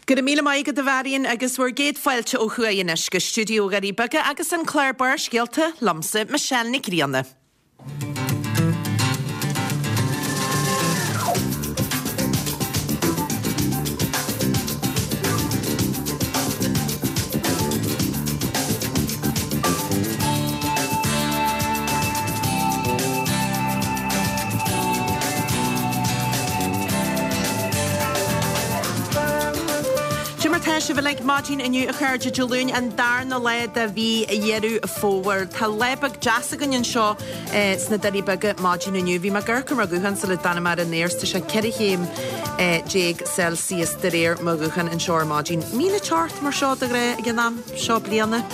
Go raibh míle maith agat a Mharion agus bhur gcéad fáilte ó thuaidh anois go stiúideo Dhoirí Beaga agus an clár Barrscéalta liomsa, Michelle Nic Grianna. Cé mar tá sibh uilig maidin inniu a chairde Dé Luain an darna lá de mhí Dheireadh Fómhair. Tá lá beag deas againn anseo sna Doirí Beaga maidin inniu. Bhí mé ag amharc ar mo ghuthán sula dtáinig mé ar an aer 's tá sé 14 chéim Celsius de réir mo ghutháin anseo ar maidin. Mbíonn an teocht mar seo de ghnáth ag an am seo bliana.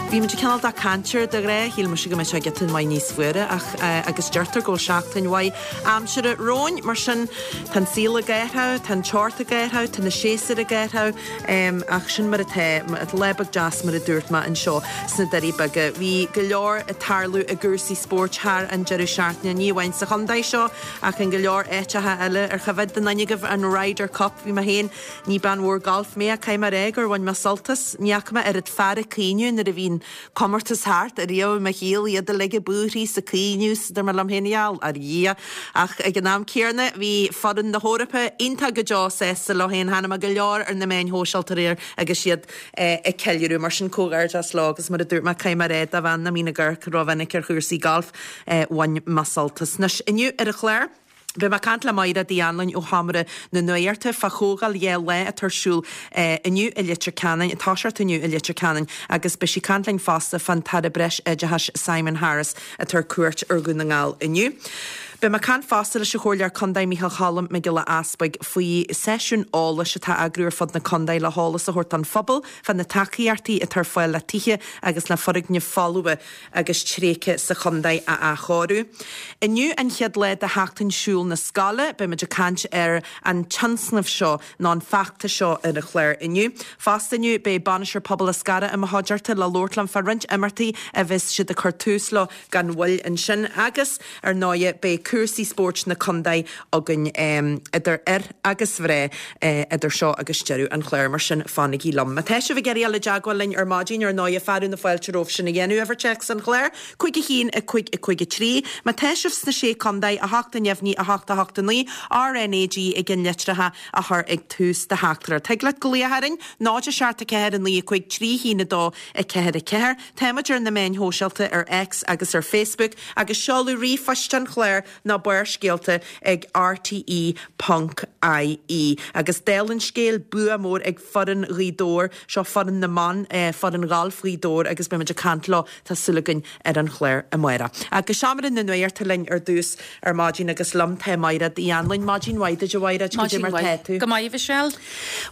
Bhí muid ag cineál de caint air de ghnáth, shíl mise go mbeadh sé giota maith níos fuaire ach agus deirtear go bhfuil seachtain mhaith aimsire romhainn, mar sin tá an saol ag athrú, tá an teocht ag athrú, tá na séasúir ag athrú ach sin mar atá, lá beag deas mar a dúirt mé anseo sna Doirí Beaga. Bhí go leor ag tarlú i gcúrsaí spóirt thar an deireadh seachtaine, ní amháin sa chontae seo ach in go leor áiteacha eile. Ar choimhéad duine agaibh an Ryder Cup? Bhí mé féin Ní bean mhór gailf mé ach caithfidh mé a rá gur bhain mé sult as. Ní fhaca mé oiread fear ag caoineadh nuair a bhí an comórtas thart ariamh i mo shaol, iad uilig ag búirthigh 's ag caoineadh 's dúirt mé liom féin, gheall ar Dhia. Ach ag an am céanna bhí foireann na hEorpa iontach go deo sásta leo féin. Chonaic mé go leor ar na meáin shóisialta aréir agus iad ag ceiliúradh. Mar sin comhghairdeas leo agus mar a dúirt mé caithfidh mé a rá do bhean nach mbíonn ag amharc rómhinic ar chúrsaí gailf, bhain mé sult as. Anois inniu ar an chlár. Beidh mé ag caint le Maighread Uí Anluain ó Sheomra na Nuachta fá chomhdháil 2 lá atá ar siúl inniu i Leitir Ceanainn, ag toiseacht inniu i Leitir Ceanainn agus beidh sí ag caint linn fosta fán tAire Breis-Oideachais Simon Harris atá ar cuairt ar Dhún na nGall inniu. Beidh mé ag caint fosta leis an Chomhairleoir Contae Micheál Cholm Mac Giolla Easbuig faoi seisiún eolais atá á eagrú ar fud na contae le heolas a thabhairt don phobal fá na tacaíochtaí atá ar fáil le tithe agus le foirgnimh folmha agus tréigthe sa chontae a athchóiriú. Inniu an chéad lá de Sheachtain Siúil na Scoile. Beimid ag caint ar an tionscnamh seo nó an feachtas seo ar an chlár inniu. Fosta inniu beidh Bainisteoir Pobail Eascarrach i mo chuideachta le labhairt liom fá roinnt imeachtaí a bheas siad ag cur tús leo gan mhoill ansin agus ar ndóighe beidh cúrsaí spóirt na contae againn idir fhir agus mhná idir seo agus deireadh an chláir, mar sin fanaigí liom. Má tá sibh ag iarraidh dul i dteagmháil linn ar maidin, ar ndóighe, fearadh na fáilte romhaibh sin a dhéanamh, uimhir téacs an chláir, 5 1 5 5 3. Má tá sibh sna Sé Contae, 8 neamhní 8 8 9, RNAG i gceannlitreacha a chur ag tús do theachtaireacht. Thig leat glaoch orainn, 0 7 4 9 5 3 1 2 4 4. Táimid ar na meáin shóisialta ar X agus ar Facebook agus seoladh ríomhphoist an chláir ná Barrscéalta ag rte ponc ie. Agus dála an scéil, bua mór ag foireann Ghaoth Dobhair, seo foireann na mban, foireann ghailf Ghaoth Dobhair agus beimid ag caint leo, tá súil againn, ar an chlár amárach. Ach go seomra na nuachta linn ar dtús ar maidin agus liom tá Maighread Uí Anluain. Maidin mhaith duit a Mhaighread, cad é mar tá tú? Go maith a Mhichelle.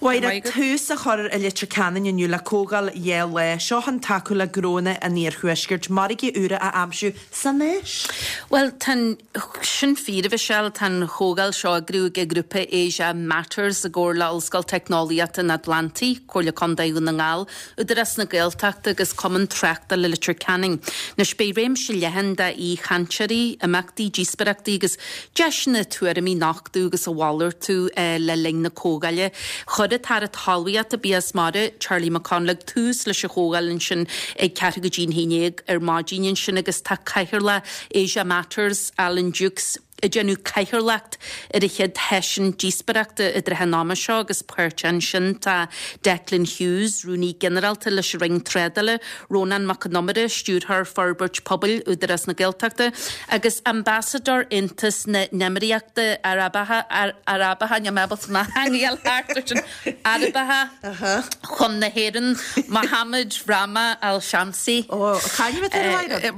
Mhaighread, tús á chur i Leitir Ceanainn inniu le comhdháil 2 lá, seo chun tacú le gnóanna an iarthuaiscirt margaí úra a aimsiú san Áis. Bhuel, tá an, sin fíor, a Mhichelle, tá an chomhdháil seo á eagrú ag an ghrúpa Asia Matters i gcomhar le Ollscoil Teicneolaíochta an Atlantaigh, Comhairle Contae Dhún na nGall, Údarás na Gaeltachta agus Cumann Tráchtála Leitir Ceanainn. Anois, beidh réimse leathan d'aoichainteoirí, imeachtaí, díospóireachtaí agus deiseanna tuairimí a nochtadh agus a mhalartú le linn na comhdhála. Chuir an tAire Talmhaíochta, Bia is Mara, Charlie McConalogue, tús leis an chomhdháil ansin ag ceathrú go dtí an haon dhéag ar maidin ansin agus tá Cathaoirleach Asia Matters, Alan Dukes, ag déanamh cathaoirleacht ar an chéad sheisiún díospóireachta i dtrátha an ama seo agus páirteach ansin tá Declan Hughes, Rúnaí Ginearálta leis an Roinn Trádála, Rónán Mac Con Iomaire, Stiúrthóir Forbairt Pobail, Údarás na Gaeltachta, agus Ambasadóir Aontas na nÉimíríochtaí Arabacha, Arabacha, níl mé ábalta mo theanga a fháil thart ar sin, Arabacha chun na hÉireann, Mohammed Rahma Al Shamsi. Ó, cá bhfuil tú ar aghaidh?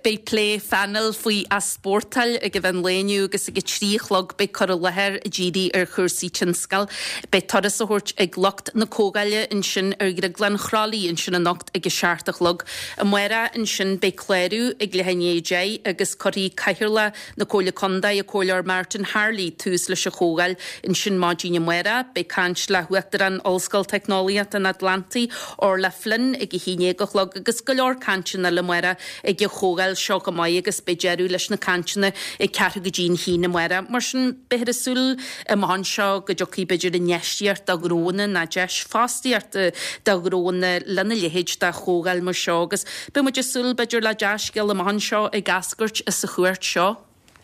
Beidh plé phainéil faoi easpórtáil ag an mheán lae inniu agus ag a 3 a chlog beidh cur i láthair ag díriú ar chúrsaí tionscail. Beidh turas á thabhairt ag lucht na comhdhála ansin ar Dhrioglann Chroithlí ansin anocht ag a 7 a chlog. Amárach ansin beidh clárú ag leath i ndiaidh 10 agus cuirfidh Cathaoirleach na Comhairle Contae, an Comhairleoir Martin Harley, tús leis an chomhdháil ansin maidin amárach. Beidh caint le hUachtarán Ollscoil Teicneolaíochta an Atlantaigh, Orla Flynn, ag a haon dhéag a chlog agus go leor cainteanna eile amárach ag an chomhdháil seo chomh maith agus. agus beidh deireadh leis na cainteanna ag ceathrú go dtí an haon amárach. Mar sin, beifear ag súil amach anseo go dtiocfaidh b'fhéidir infheistíocht do ghnóanna ná deis fostaíochta do ghnóanna lena leithéid de chomhdháil mar seo agus beidh muid ag súil b'fhéidir le dea-scéal amach anseo ag eascairt as an chuairt seo.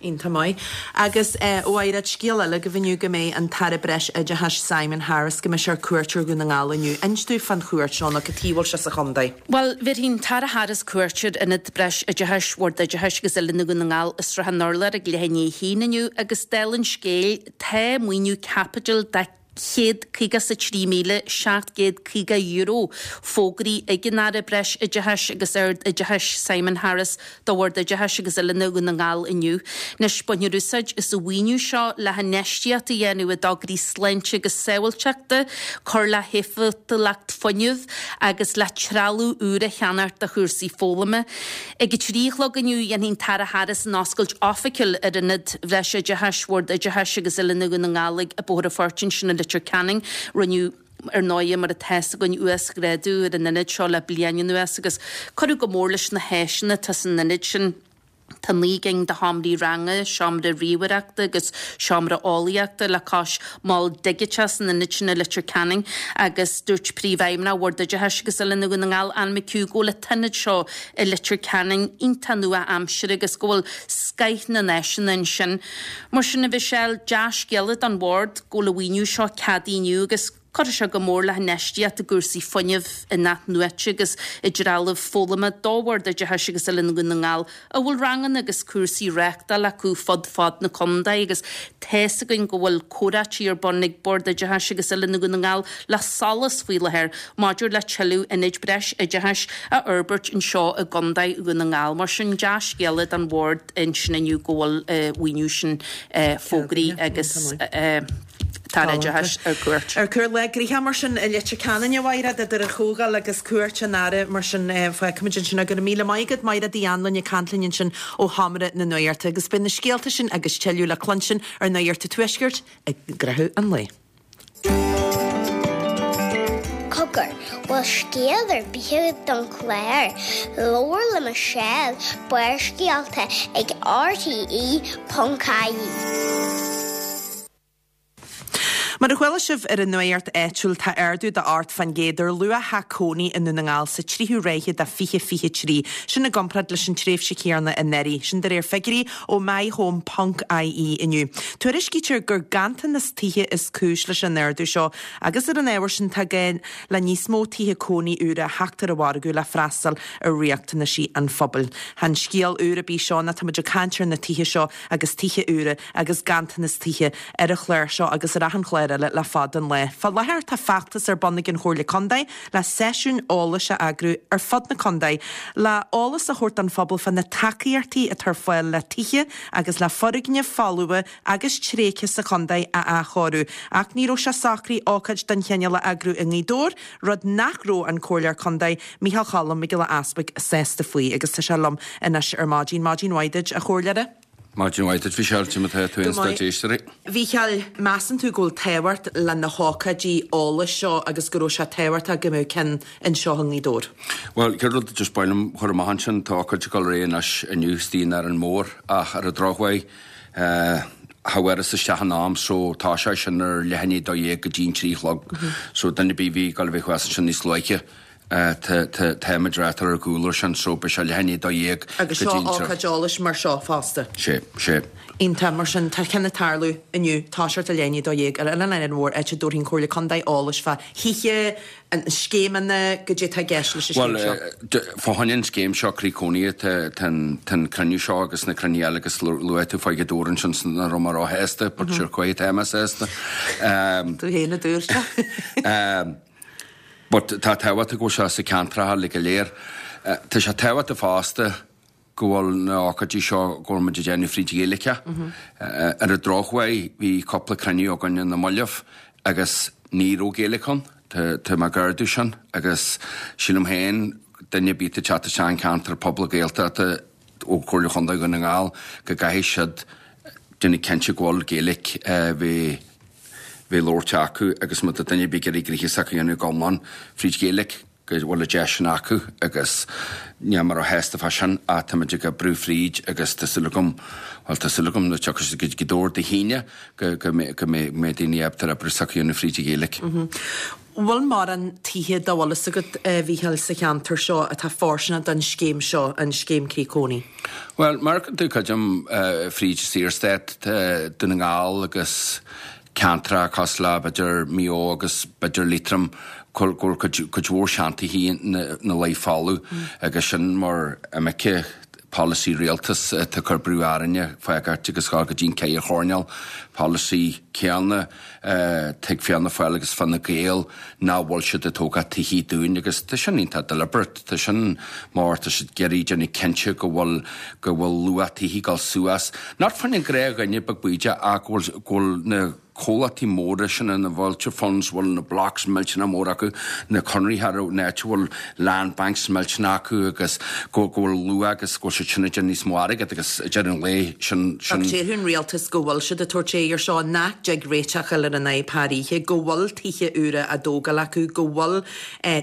Iontach maith. Agus a Mhaighread, scéal eile agaibh inniu go mbeidh an tAire Breis Oideachais Simon Harris, go mbeidh sé ar cuairt ar Dhún na nGall inniu. Inis dúinn fán chuairt seo nó cad chuige a bhfuil sé sa chontae. Bhuel, bhéarfaidh an tAire Harris cuairt ar Ionad Breis Oideachais Bhord Oideachais agus Oiliúna Dhún na nGall i Srath an Urláir ag leath i ndiaidh a haon inniu agus dála an scéil, tá maoiniú caipitil de €153,750 fógraithe ag an Aire Breis Oideachais agus Ard Oideachais Simon Harris do Bhord Oideachais agus Oiliúna Dhún na nGall inniu. Anois, bainfear úsáid as an mhaoiniú seo le hinfheistíocht a dhéanamh i dtograí sláinte agus sábháilteachta, cur le héifeachtúlacht fuinnimh agus le trealamh úr a cheannacht do chúrsaí foghlama. Ag a 3 a chlog inniu, dhéanfaidh an tAire Harris an oscailt oifigiúil ar Ionad Bhreis Oideachais Bhord Oideachais agus Oiliúna Dhún na nGall ag Bóthar an Phoirt ansin i Leitir Ceanainn. Rinneadh, ar ndóighe, mar atá fhios againn, uasghrádú ar an ionad seo le bliain anuas agus cuireadh go mór leis na háiseanna atá san ionad sin. Tá 9 gcinn de sheomraí ranga, seomra ríomhaireachta agus seomra eolaíochta le cois mol digiteach san ionad sin i Leitir Ceanainn agus dúirt Príomhfheidhmeannach Bhord Oideachais agus Oiliúna Dhún na nGall, Anne McHugh, go bhfuil an t-ionad seo i Leitir Ceanainn iontach nua-aimseartha agus go bhfuil scoith na n-áiseanna ansin. Mar sin, a Mhichelle, dea-scéala don Bhord go bhfuil an mhaoiniú seo ceadaithe inniu agus Cuirfidh sé go mór le hinfheistíocht i gcúrsaí fuinnimh in-athnuaite agus i dtrealamh foghlama do Bhord Oideachais agus Oiliúna Dhún na nGall a bhfuil ranganna agus cúrsaí reáchtáil acu fud fad na contae agus tá's againn go bhfuil comhráití ar bun ag Bord Oideachais agus Oiliúna Dhún na nGall le SOLAS faoi láthair maidir le tuilleadh ionaid breis oideachais a fhorbairt anseo i gContae Dhún na nGall. Mar sin dea-scéala don Bhord ansin inniu go bhfuil an mhaoiniú sin fógraithe agus. tAire Oideachais ar cuairt. Ar cuairt. Lá gnoitheach mar sin i Leitir Ceanainn, a Mhaighread, idir an chomhdháil agus cuairt an Aire mar sin fágfaimid ansin é. Go raibh míle maith agat, Maighread Uí Anluain ag caint linn ansin ó Sheomra na Nuachta. Agus beidh na scéalta sin agus tuilleadh le cluinstin ar Nuacht an Tuaiscirt i gcaitheamh an lae. Cogar, bhfuil scéal ar bith agat don chlár? Labhair le Michelle, Barrscéalta ag RTE.ie. Mar a chuala sibh ar an nuacht áitiúil, tá ardú de 8% ar luach theach cónaí i nDún na nGall sa tríú ráithe de 2023, sin i gcomparáid leis an tréimhse chéanna anuraidh. Sin de réir figiúirí ó MyHome ponc ie inniu. Tuairiscítear gur ganntanas tithe is cúis leis an ardú seo agus ar an ábhar sin tá gá le níos mó tithe cónaí úra a theacht ar an mhargadh le freastal ar riachtanaisí an phobail. Chan scéal úr ar bith seo ná tá muid ag caint ar na tithe seo agus tithe úra agus ganntanas tithe ar an chlár seo agus ar achan chlár eile le fada an lá. Fá láthair tá feachtas ar bun ag an Chomhairle Contae le seisiúin eolais a eagrú ar fud na contae le eolas a thabhairt don phobal fá na tacaíochtaí atá ar fáil le tithe agus le foirgnimh folmha agus tréigthe sa chontae a athchóiriú. Ach ní raibh sé socraithe ócáid den chineál a eagrú i nGaoth Dobhair, rud nach raibh an Comhairleoir Contae, Micheál Cholm Mac Giolla Easbuig sásta faoi agus tá sé liom anois ar maidin. Maidin mhaith duit, a Chomhairleora. Maidin mhaith duit, Mhichelle, cad é mar atá tú féin 's do chuid éisteoirí. Mhichíl, measann tú go bhfuil tábhacht le na hócáidí eolais seo agus go raibh sé tábhachtach go mbeadh ceann anseo i nGaoth Dobhair? Bhuel, chéad rud just ba mhaith liom a chur amach ansin, tá ócáid ag dul ar aghaidh anois inniu istigh in Árainn Mhór ach ar an drochuair cha bhfuaireas isteach in am so tá sé sin ar leath i ndiaidh 12 go dtí an 3 a chlog so duine ar bith a bhí ag dul a bheith thuas ansin níos luaithe Táimid reáchtáil ar gcúl air sin so beidh sé leath i ndiaidh 12 Agus seo ócáid eolais mar seo fosta. Sé, sé. Iontach, mar sin tá ceann ag tarlú inniu, toiseacht ag leath i ndiaidh 12 ar Oileán Árainn Mhór, áit a dtabharfaidh an Chomhairle Contae eolais fá thithe, scéimeanna, goidé atá i gceist leis an scéim seo. Bhuel, fá choinne an scéim seo Croí Cónaithe tá an cruinniú seo agus na cruinnithe eile agus luaigh tú fá Ghaoth Dobhair ansin 's nach raibh mé róshásta, but sure cá huair atá mé sásta. Tú féin a dúirt é. But tá tábhachtach go bhfuil sé sa ceantracha uilig go léir. Tá sé tábhachtach fosta go bhfuil na ócáidí seo go bhfuil muid ag déanamh fríd Ghaeilge. Ar an drochuair bhí cúpla cruinniú againn ar na mallaibh agus ní raibh Gaeilge ann. Tá mé gar dó sin agus sílim féin duine ar bith atá ag teacht isteach an ceantar pobail Gaeltachta ó Chomhairle Chontae Dhún na nGall go gcaithfidh siad déanamh cinnte go bhfuil Gaeilge bheith labhairt acu agus má tá duine ar bith ag iarraidh gnoithe s'acu a dhéanamh go iomlán fríd Ghaeilge. go bhfuil an deis sin acu agus níl mé róshásta fá sin ach táimid ag oibriú fríd agus tá súil agam, bhuel tá súil agam nuair a tiocfaidh siad go dtí Dé hAoine go go mbeidh daoine ábalta oibriú s'acu a dhéanamh fríd an Ghaeilge. Bhfuil mórán tithe dá bhfuil fhios agat, a Mhícheáil, sa cheantar seo atá fóirsteanach don scéim seo, an scéim Croí Cónaí? Bhuel, mar a tú creidim fríd Saorstát, Dún na nGall agus ceantracha cosúil le b'fhéidir Maigh Eo agus b'fhéidir Liatroim go bhfuil cuid mhór seantithe ina luí folamh agus sin mar imirce polasaí rialtas atá ag cur brú orainne fágáilt agus dhul go dtí an ceathair choirnéal, polasaí céanna ag Fianna Fáil agus Fine Gael nach bhfuil siad ag tógáil tithe dúinn agus tá sin iontach deliberate, tá sin mar tá siad ag iarraidh déanamh cinnte go bhfuil go bhfuil luach tithe ag dul suas, not fá choinne an gnáthdhuine beag bídeach ach go bhfuil go bhfuil na comhlachtaí móra sin na vulture funds bhfuil na blocks millteanach mór acu, na conarthaí ar an áit a bhfuil land banks millteanach acu agus go go bhfuil luach agus go bhfuil siad sin ag déanamh níos mó airgead agus ag deireadh an lae sin sin Ach déarfadh an rialtas go bhfuil siad ag tabhairt aghaidh ar seo, nach dtig réiteach a fháil ar an fhadhb thar oíche, go bhfuil tithe úra á dtógáil acu, go bhfuil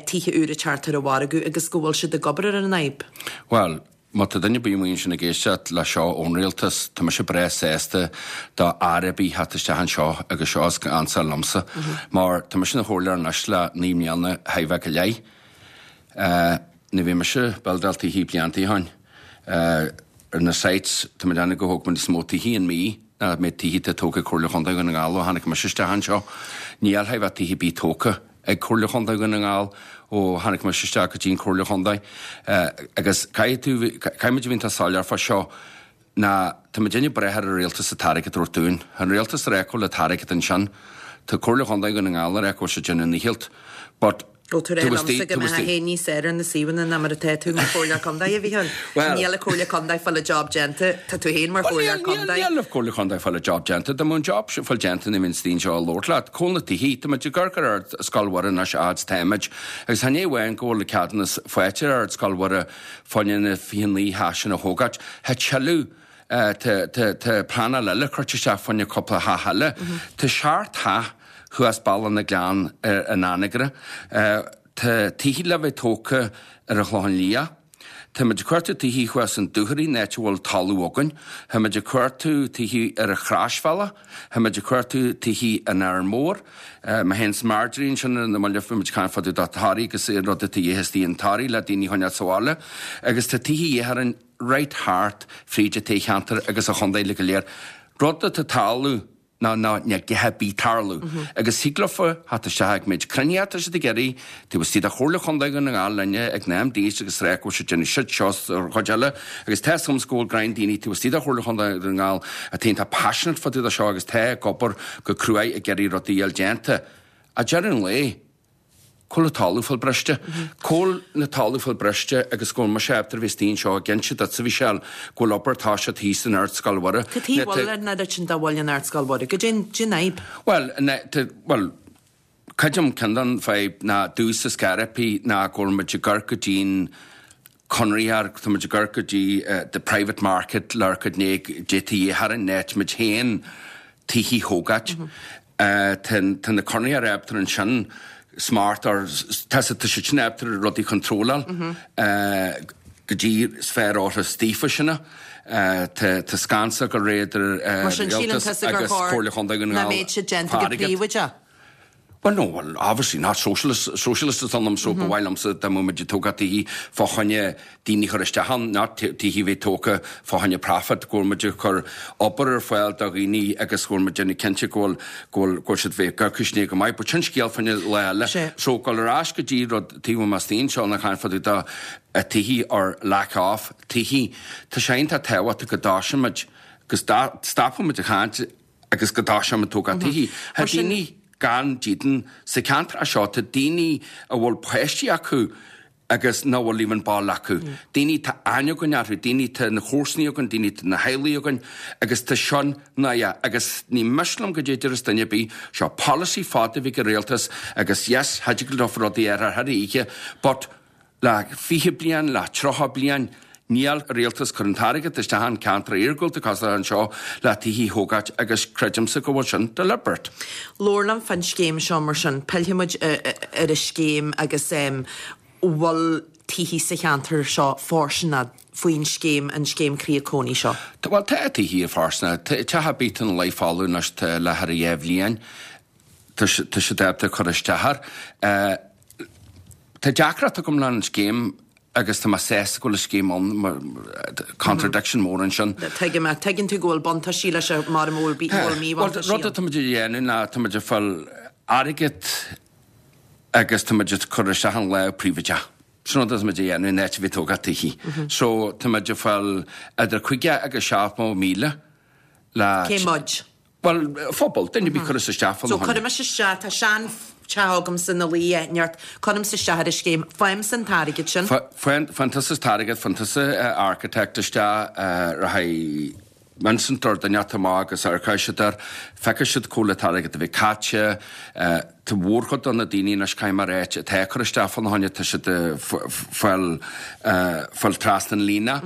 tithe úra ag teacht ar an mhargadh agus go bhfuil siad ag obair ar an fhadhb. Bhuel, má tá duine ar bith amuigh ansin ag éisteacht le seo ón rialtas, tá mise breá sásta do aire ar bith theacht isteach anseo agus seo is ansa liomsa, mar tá mise ina chomhairleoir anois le 9 mbliana chóir a bheith go leith. Nuair a bhí mise ag buildáil tithe blianta ó shoin, ar na sites, tá mé ag déanamh go thóg mé níos mó tithe in mí ná an méid tithe atá tógtha ag Comhairle Chontae Dhún na nGall ó tháinig mise isteach anseo. Níl chóir a bheith tithe ar bith tógtha. ag Comhairle Chontae Dhún na nGall ó tháinig mise isteach go dtí an Chomhairle Chontae. Agus caithfidh tú, caithfidh muid a bheith iontach soiléir fá seo ná tá muid ag brath ar an rialtas an t-airgead a thabhairt dúinn. Tá an rialtas ag rá go bhfuil an t-airgead ansin. Tá Comhairle Chontae Dhún na nGall ag rá go bhfuil siad ag déanamh a ndícheall. But Ó tá tú ag rá liomsa go mbeifeá féin níos fearr ar na suíomhanna ná mar atá tú mar Chomhairleoir Contae, a Mhícheáil. Níl an Chomhairle Contae ag fáil a job déanta, tá tú féin mar Chomhairleoir Contae. Níl an Chomhairle Contae ag fáil a job déanta. Dá mbeadh an job sin fáil déanta ní bheinn istigh anseo ag labhairt leat. Cá bhfuil na tithe, tá muid ag amharc ar Ardscoil Mhuire anois a fhad is táimid. Agus chan é amháin go bhfuil ceadúnas faighte ar Ardscoil Mhuire fá choinne na 29 theach sin a thógáilt. Tá tuilleadh Tá pleanáil eile curtha isteach fá choinne cúpla theach eile. Tá seacht theach thuas Bealach na nGleann in Anagaire. Tá tithe le bheith tógtha ar an Chlochán Liath. Tá muid ag cuartú tithe thuas in Dúchoraidh, an áit a bhfuil talamh againn. Tá muid ag cuartú tithe ar an Chroisbhealach. Tá muid ag cuartú tithe in Árainn Mhór. Mé féin 's Marjorie ansin i mbaile, bhí muid ag caint fá dtaobh de Thoraigh agus an rud atá de dhíth istigh in Toraigh le daoine a choinneáil sa bhaile. Agus tá tithe de dhíth orainn right thart fríd an toghcheantar agus an chontae uilig go léir. Rud atá ag tarlú ná ná níl a dhath ar bith ag tarlú. Agus thig leofa theacht isteach ag méid cruinnithe atá siad ag iarraidh, taobh istigh de Chomhairle Chontae Dhún na nGall linne ag na MDs agus rá go bhfuil siad ag déanamh shit seo 's an chuid eile agus tá 'fhios agamsa go bhfuil greim daoine taobh istigh de Chomhairle Chontae Dhún na nGall atá iontach passionate fá dtaobh de seo agus tá ag obair go cruaidh ag iarraidh rudaí a fháil déanta. Ag deireadh an lae, Cá bhfuil an talamh fáil briste. Cá bhfuil na talamh fáil briste agus go bhfuil mise ábalta a bheith istigh anseo ag inse duitse a Mhichelle go bhfuil obair toiseacht thíos in Ardscoil Mhuire. Cad chuige a bhfuil an oiread sin de mhoill in Ardscoil Mhuire? Goidé an fhadhb? Bhuel, bhuel, creidim ceann den fadhb ná domhsa ar scor ar bith ná go bhfuil muid ag amharc go dtí'n conraitheoir, tá muid ag amharc go dtí the private market le amharc goidé atá de dhíth orainn, in áit muid féin tithe a thógáilt. Tá na conraitheoirí ábalta ansin smart or tá tá siad sin ábalta rudaí contróláil go dtí is fearr orthu daofa sin. Tá scansa go réidh idir rialtas agus Comhairle Chontae Dhún na Ngall. Nach mbeadh siad déanta go príobháideach? Well no, well obviously not socialist, socialist atá ionam so ba mhaith liomsa dá mbeadh muid ag tógáil tithe fá choinne daoine a chur isteach ann, not tithe a bheith tógtha fá choinne profit, go bhfuil muid ag cur obair ar fáil do dhaoine agus go bhfuil muid déanamh cinnte go bhfuil, go bhfuil, go bhfuil siad bheith ag cur go maith. But sin scéal fá choinne lá eile. So gabháil ar ais go dtí rud taobh amuigh istigh anseo ná caint fá dtaobh de tithe or lack of tithe. Tá sé iontach tábhachtach go dtoiseoidh muid, go stopfaidh muid ag caint agus go dtoiseoidh muid tógáil tithe. Tá daoine gan dídean sa cheantar seo, tá daoine a bhfuil páistí acu agus nach bhfuil even baile acu. Daoine tá aithne againn orthu, daoine tá na comharsanaí againn, daoine tá na theaghlaigh againn agus tá sin náireach agus ní miste liom goidé a déarfas duine ar bith, seo polasaí fada a bhí ag an rialtas agus yes, cha dtig leo rudaí a athrú thar oíche but Le 20 bliain, le 30 bliain, níl an rialtas cur an t-airgead isteach in ceantar iargúlta cosúil anseo le tithe a thógáilt agus creidimse go bhfuil sin deliberate. Labhair liom fán scéim seo mar sin. Pillfidh muid ar an scéim agus. Bhfuil tithí sa cheantar seo fóirsteanach faoin scéim, an scéim Creat Cónaí seo? Bhuel, tá tithí fóirsteanach. Teach ar bith atá ina luí folamh anois tá leath ar a dhá bhliain. Tá siad ábalta cur isteach air. Tá deacracht agam le an scéim agus tá mé sásta go bhfuil an scéim ann mar contradiction mór ansin. Tuigim. Tuigeann tú go bhfuil buntáistí leis mar a bhfuil míbhuntáistí ann. Rud atá muid a dhéanamh ná tá muid ag fáil airgead agus tá muid ag cur isteach in lámh príobháideach. Sin rud atá muid a dhéanamh in áit a bheith ag tógáil tithí. So tá muid ag fáil idir 50 agus 70,000 le. Cé muid? Bhuel, phobal, duine ar bith cuireas isteach fá na. So cuirimis isteach, tá sean teach agamsa ina luí i neart, cuirimse isteach ar an scéim, faighimse an t-airgead sin. Faigheann tusa an t-airgead, faigheann tusa architect isteach, rachaidh Vincent or duine inteacht amach agus amharcfaidh siad air, feicfidh siad cá bhfuil an t-airgead a bheith caite, tá mhórchuid de na daoine anois, caithfidh mé a ráit, atá ag cur isteach fá na choinne, tá siad ag fáil, fáil trasna an líne.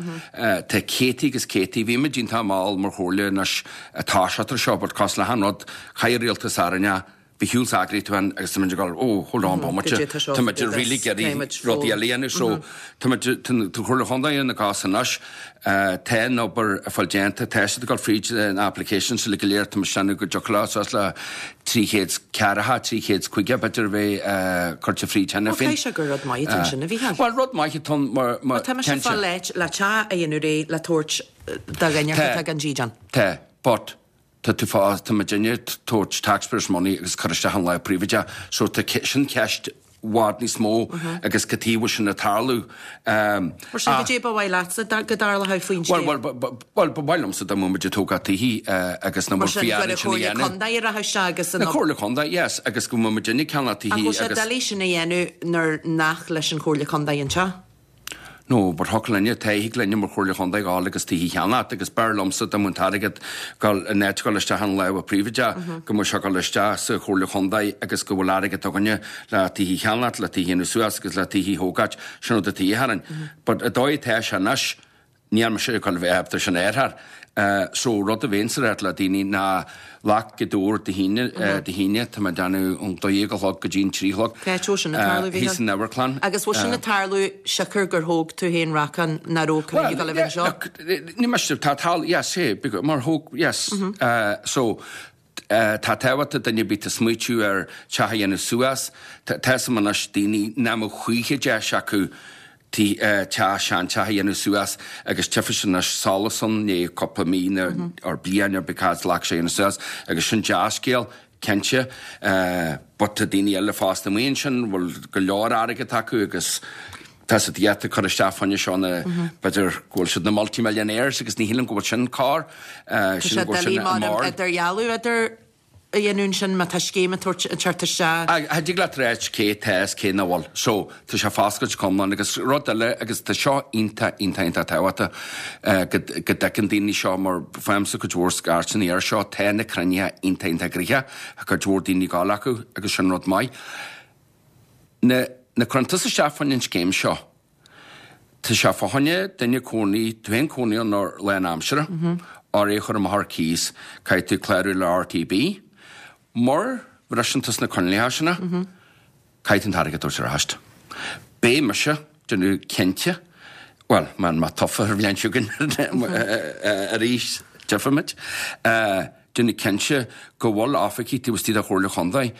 Tá céadtaí agus céadtaí, bhí muid iontach mall mar chomhairle anois ag toiseacht ar seo but cosúil le achan rud, chaith an rialtas orainn é, bhí shiúl s'eagraí tú ann agus tá muid ag dul oh hold on bomaite, tá muid really ag iarraidh rudaí eile a dhéanamh so tá muid, tá an Chomhairle Chontae ina gcás anois, tá an obair ag fáil déanta, tá siad ag dul fríd na applications uilig go léir, tá muid ag déanamh go dtiocfadh leo suas le 340, 350 b'fhéidir a bheith curtha fríd cheana féin. Bhuel caithfidh sé gur rud maith atá ansin a Mhícheáil. Bhuel rud maith atá ann mar, mar, Tá mise ag fáil áit le teach a dhéanamh réidh le tabhairt do dhuine atá gan dídean. Tá, but tá tú fá, tá muidinne ag tabhairt taxpayers money agus cur isteach in lámh príobháideach, so tá sin ceist i bhfad níos mó agus cad chuige a bhfuil sin ag tarlú. Mar sin, cad é ba mhaith leatsa go dtarlódh faoin scéim? Bhuel, bhuel, ba mhaith liomsa dá mbeadh muid ag tógáil tithí agus nach Mar sin, gur an Chomhairle Contae a rachadh isteach agus an. Na Comhairle Contae, yes, agus go mbeadh muidinne ag ceannach tithí agus. Ach bhfuil sé doiligh sin a dhéanamh nuair nach leis an Chomhairle Contae an teach? No, but thiocfadh linne, thig linne mar Chomhairle Chontae dhul agus tithí a cheannacht agus b'fhearr liomsa dá mbeadh an t-airgead dul in áit dhul isteach in lámha príobháideach go mbeadh sé dhul isteach sa Chomhairle Chontae agus go bhfuil airgead againne le tithí a cheannacht, le tithí a dhéanamh suas agus le tithí a thógáilt, sin rud atá de dhíth orainn. But an dóigh atá sé anois, Níl mise ag dul a bheith ábalta sin a fhearthair. So, rud a bheinnse ag ráit le daoine ná glac Gaoth Dobhair Dé hAoine, Dé hAoine, tá mé ag déanamh ón 12 a chlog go dtí an 3 a chlog. Cá háit a bhfuil sin ag tarlú, Mhícheál? Thíos san amharclann. Agus bhfuil sin ag tarlú siocair gur thóg tú féin racán nach raibh cruinniú ag dul a bheith anseo? Well, yeah, look, ní miste, tá tal, yes, hey, mar thóg, yes. So, Tá tábhacht ag duine ar bith atá ag smaoitiú ar teach a dhéanamh suas. Tá 'fhios a'm anois daoine nach mbeadh choíche deis acu teach, seanteach a dhéanamh suas agus tchífidh siad anois solas ann i ndiaidh cúpla mí nó or bliain or because ghlac sé a dhéanamh suas agus sin dea-scéal, cinnte. But tá daoine eile fosta amuigh ansin bhfuil go leor airgead acu agus Tá siad iad ag cur isteach fá choinne seo na, b'fhéidir go bhfuil siad na multi-millionaires agus ní shílim go bhfuil sin cóir. Tá sé doiligh mar idirdhealú idir a dhéanamh ansin má tá scéim ag tabhairt an tseort isteach. Cha dtig leat ráit cé atá is cé nach bhfuil. So, tá sé foscailte go hiomlán agus rud eile agus tá seo iontach, iontach, iontach tábhachtach go go dtuigeann daoine seo mar faighimse cuid mhór scairteanna air seo, tá na cruinnithe iontach, iontach gnoitheach, tá cuid mhór daoine ag gabháil acu agus sin rud maith. Nuair a chuireann tusa isteach fá choinne an scéim seo, tá sé fá choinne duine cónaí, tú féin cónaí ann ar lán aimsire, or é a chur amach ar cíos, caithfidh tú clárú le RTB. Mura bhriseann tusa na coinníollacha sin, caithfidh tú an t-airgead a thabhairt ar ais. Beidh mise. Déanamh cinnte, bhuel, má tá mé tofa ar bhliain seo chugainn arís, tchífimid, déanamh cinnte go bhfuil oifigigh taobh istigh de Chomhairle Chontae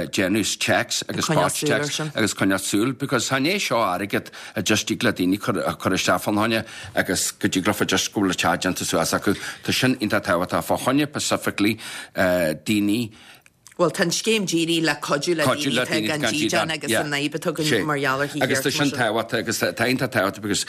déanamh checks agus spot checks agus coinneáil súil because chan é seo airgead a just dtig le daoine a chur isteach fá choinne agus go dtig leofa just go bhfuil an teach déanta suas acu. Tá sin iontach tábhachtach fá choinne specifically daoine Bhuel, tá an scéim dírithe le cuidiú le daoine atá gan dídean agus an fhadhb atá againn mar gheall ar thithíocht. Agus tá sin tábhachtach agus tá iontach tábhachtach because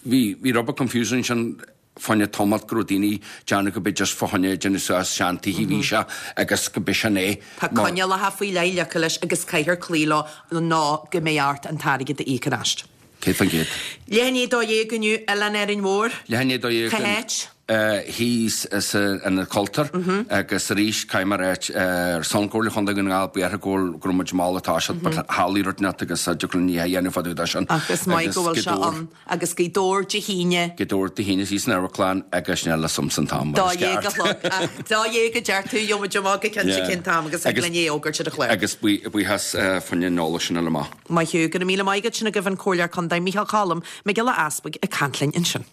bhí bhí rud beag confusion ansin fá choinne tamalt go raibh daoine ag déanamh go b'é just fá choinne déanamh suas seantithe a bhí sé agus go b'é sin é. Tá coinníollacha faoi leith ligthe leis agus caithfear cloí leo nó go mbeidh ort an t-airgead a íoc ar ais. 100%. Leath i ndiaidh a 12 inniu, Oileán Árainn Mhór. Leath i ndiaidh a 12. Cá háit? Thíos san Ionad Cultúir agus arís caithfidh mé a ráit ar son Chomhairle Chontae Dhún na nGall buíochas go bhfuil go raibh muid mall ag toiseacht but tharlaigh rud inteacht agus dtiocfadh linn é a dhéanamh fá dtaobh de sin. Ach is maith go bhfuil sé ann agus Gaoth Dobhair Dé hAoine. Gaoth Dobhair Dé hAoine thíos san amharclann agus níl a fhios a'msa an t-am mar is ceart. 12 a chlog ach 12 a deir tú gheobhaidh muid amach go cinnte cén t-am agus thig linn é a fhógairt ar an chlár. Agus buíochas fá choinne an eolais sin a fháil amach. Maith thú. Go raibh míle maith agat sin agaibh an Comhairleoir Contae Micheál Choilm Mac Giolla Easbuig ag caint linn ansin.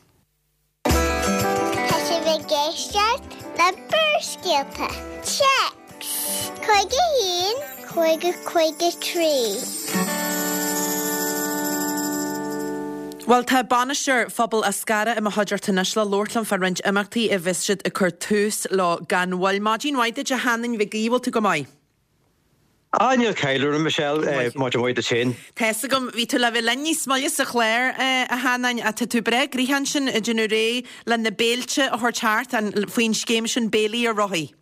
Tá sibh ag éisteacht le Barrscéalta. Téacs 51 50 53. Bhuel, tá bainisteoir Phobal Eascarrach i mo chuideachta anois le labhairt liom fá roinnt imeachtaí a bheas siad ag cur tús leo gan mhoill. Maidin mhaith duit a Sheanáin Mhig Aoidh, bhfuil tú go maith? Ah, níl caill orm, Michelle. Maidin mhaith duit féin. Tá's agam, bhí tú le bheith linn níos moille sa chlár, a Sheanáin, ach tá tú breá gnoitheach ansin ag déanamh réidh le na béilte a thabhairt thart, faoin scéim sin Béilí ar Rothaí.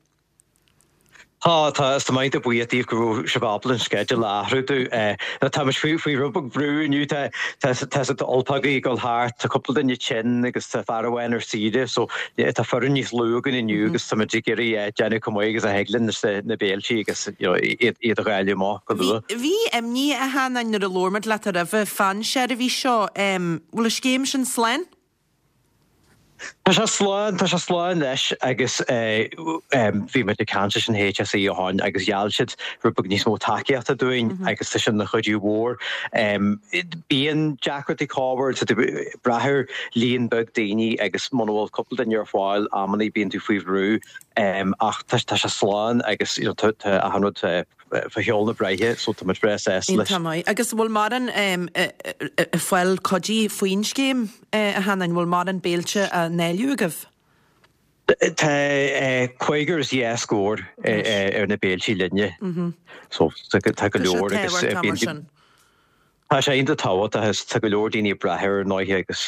Tá, tá, is tá mé iontach buíoch daoibh go raibh sibh ábalta an sceideal a athrú domh. Tá muid faoi, faoi rud beag brú inniu, tá, tá, tá tá ulpagaí ag dul thart, tá cúpla duine tinn agus tá fear amháin ar saoire, so tá foireann níos lú againn inniu agus tá muid ag iarraidh déanamh chomh maith agus a thig linn leis na béiltí agus iad a dháileadh amach go luath. Bhí imní, a Sheanáin, nuair a labhair muid leat roimhe fán seirbhís seo. Bhfuil an scéim sin slán? Tá sé slán, tá sé slán leis agus bhí muid ag caint leis an HSE ó shoin agus gheall siad rud beag níos mó tacaíochta dúinn agus tá sin ina chuidiú mhór. Bíonn deacrachtaí corruair, tá tú ag brath ar líon beag daoine agus muna bhfuil cúpla duine ar fáil amannaí bíonn tú faoi bhrú ach tá sé slán agus tá achan rud fá sheol na bráithe so tá muid breá sásta leis. Iontach maith. Agus bhfuil mórán ag fáil cuidiú faoin scéim, a Sheanáin? Bhfuil mórán béilte á ndáileadh agaibh? Tá cúigear is dhá scór ar na béiltí linne so tá go leor agus bíonn Tá sé iontach tábhachtach agus tá go leor daoine ag brath air ar ndóighe agus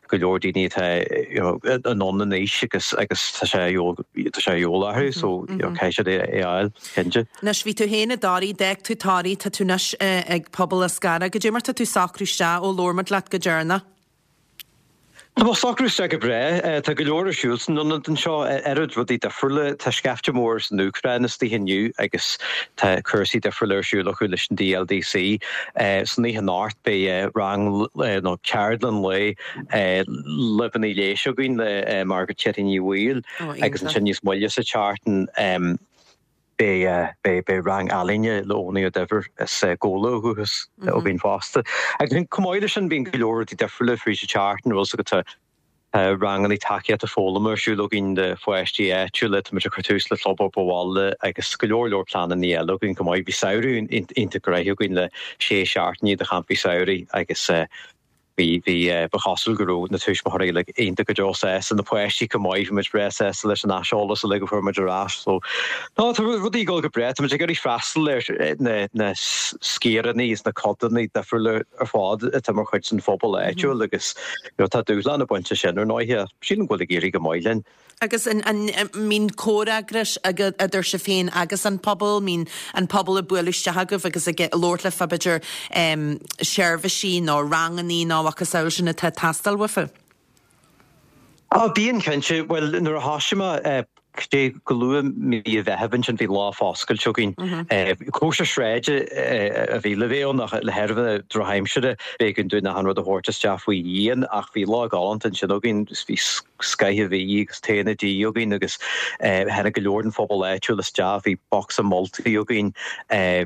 go leor daoine atá you know anonn in aois agus agus tá sé tá sé a dhíobháil orthu so you know caithfidh siad é a fháil, cinnte. Anois bhí tú féin i dToraigh, d'fhág tú Toraigh, tá tú anois ag Pobal Eascarrach. Goidé mar tá tú ag socrú isteach ó labhair muid leat go deireanach? Tá mé ag socrú isteach go breá. Tá go leor ar siúl san ionad anseo, oiread rudaí difriúla. Tá scaifte mór as an Úcráin istigh inniu agus tá cúrsaí difriúla ar siúl acu leis an DLDC. San oíche anocht beidh rang nó ceardlann lae luibheanna leighis againn le Margaret Chetty Ní Bhaoill agus ansin níos moille sa tseachtain, Beidh rang ealaíne le Eoin Ó Duibhir as Gabhla ó dhúchas againn fosta. Agus chomh maith leis sin bíonn go leor rudaí difriúla fríd an tseachtain, bhfuil 's agat tá ranganna tacaíochta foghlama ar siúl againn do pháistí áitiúla, tá muid ag cur tús le club obair bhaile agus go leor leor pleananna eile againn chomh maith. Bhí samhradh iontach gnoitheach againn le sé seachtainí de champaí samhraidh agus Bhí, bhí, ba chosúil go raibh na tuismitheoirí uilig iontach go deo sásta, na páistí chomh maith, bhí muid breá sásta leis an aiseolas uilig a fuair muid ar ais. So, no, tá rudaí ag dul go breá, tá muid ag iarraidh freastal ar na, na sciaranna is na codanna difriúla ar fad atá mar chuid den phobal áitiúil agus, you know, tá dúshlán ag baint leis sin ar ndóighe ach sílim go bhfuil ag éirí go maith linn. Agus an mbíonn comhfhreagras idir sibh féin agus an pobal? Mbíonn an pobal ag bualadh isteach chugaibh agus ag labhairt libh fá b'fhéidir seirbhísí nó rangannaí nó a mhacasamhail sin atá ag teastáil uafa? Á, bíonn cinnte. Bhuel, nuair a thosaigh mé, cé go luath mí an Mheithimh ansin bhí lá foscailte againn. Cóisir sráide a bhí le bheith ann ach le thairbhe na drochaimsire b'éigean dúinn achan rud a thabhairt isteach faoi dhíon ach bhí lá galánta ansin againn. Bhí scaifte bídh agus tae dí againn agus tháinig go leor den phobal áitiúil isteach. Bhí bocsa moltaí againn,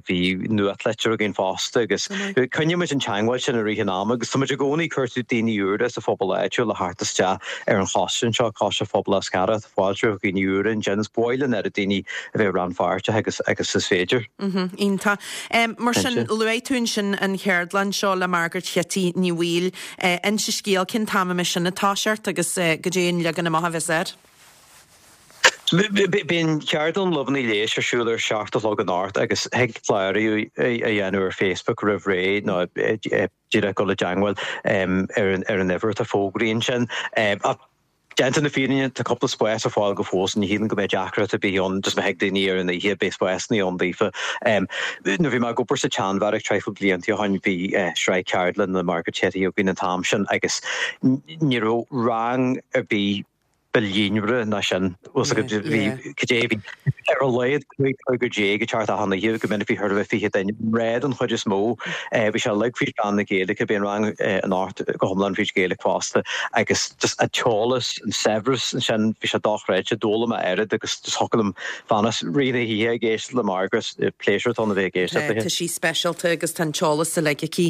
bhí nuachtlitir againn fosta agus coinníonn muid an teagmháil sin i rith an ama agus tá muid i gcónaí ag cuartú daoine úra sa phobal áitiúil a theacht isteach ar an choiste anseo, Coiste Phobal Eascarrach. Tá fáilte roimh dhaoine úra ansin. Is ba mhaith linn oiread daoine a bheith rannpháirteach agus agus is féidir. Iontach. Mar sin, luaigh tú ansin an cheardlann seo le Margaret Chití Ní Bhaoill. Inis an scéal, cén t-am a mbeidh sin ag toiseacht agus goidé an leagan amach a bheas air? Beidh an cheardlann Luibheanna Leighis ar siúl ar 7 a chlog anocht agus thig clárú a dhéanamh ar Facebook roimh ré nó díreach dul i dteangmháil ar an uimhir atá fógraithe ansin. Ach Déanta na fírinne, tá cúpla spás ar fáil go fóill so ní shílim go mbeidh deacracht ar bith ann, just má thig daoine ar an oíche, beidh spásanna ann daofa. Nuair a bhí mé ag obair sa tSeanbheairic traidhfil blianta ó shoin, bhí sraith ceardlann le Margaret Chetty againn an t-am sin agus ní raibh rang ar bith. ba líonmhaire ná sin. Bhfuil 's agat, bhí, cad é, bhí ar a laghad 15 cúigear ag teacht achan oíche, go minic bhí chóir a bheith 20 duine, mná den chuid is mó. Bhí sé uilig fríd mheán na Gaeilge, bhí an rang anocht go hiomlán fríd Ghaeilge fosta agus just an t-eolas, an saibhreas ansin, bhí sé dochreidte, d'fhoghlaim mé oiread agus just thiocfadh liom fanacht rith na hoíche ag éisteacht le Margaret, pléisiúr atá ann a bheith ag éisteacht léi. Tá sí speisialta agus tá an t-eolas uilig aici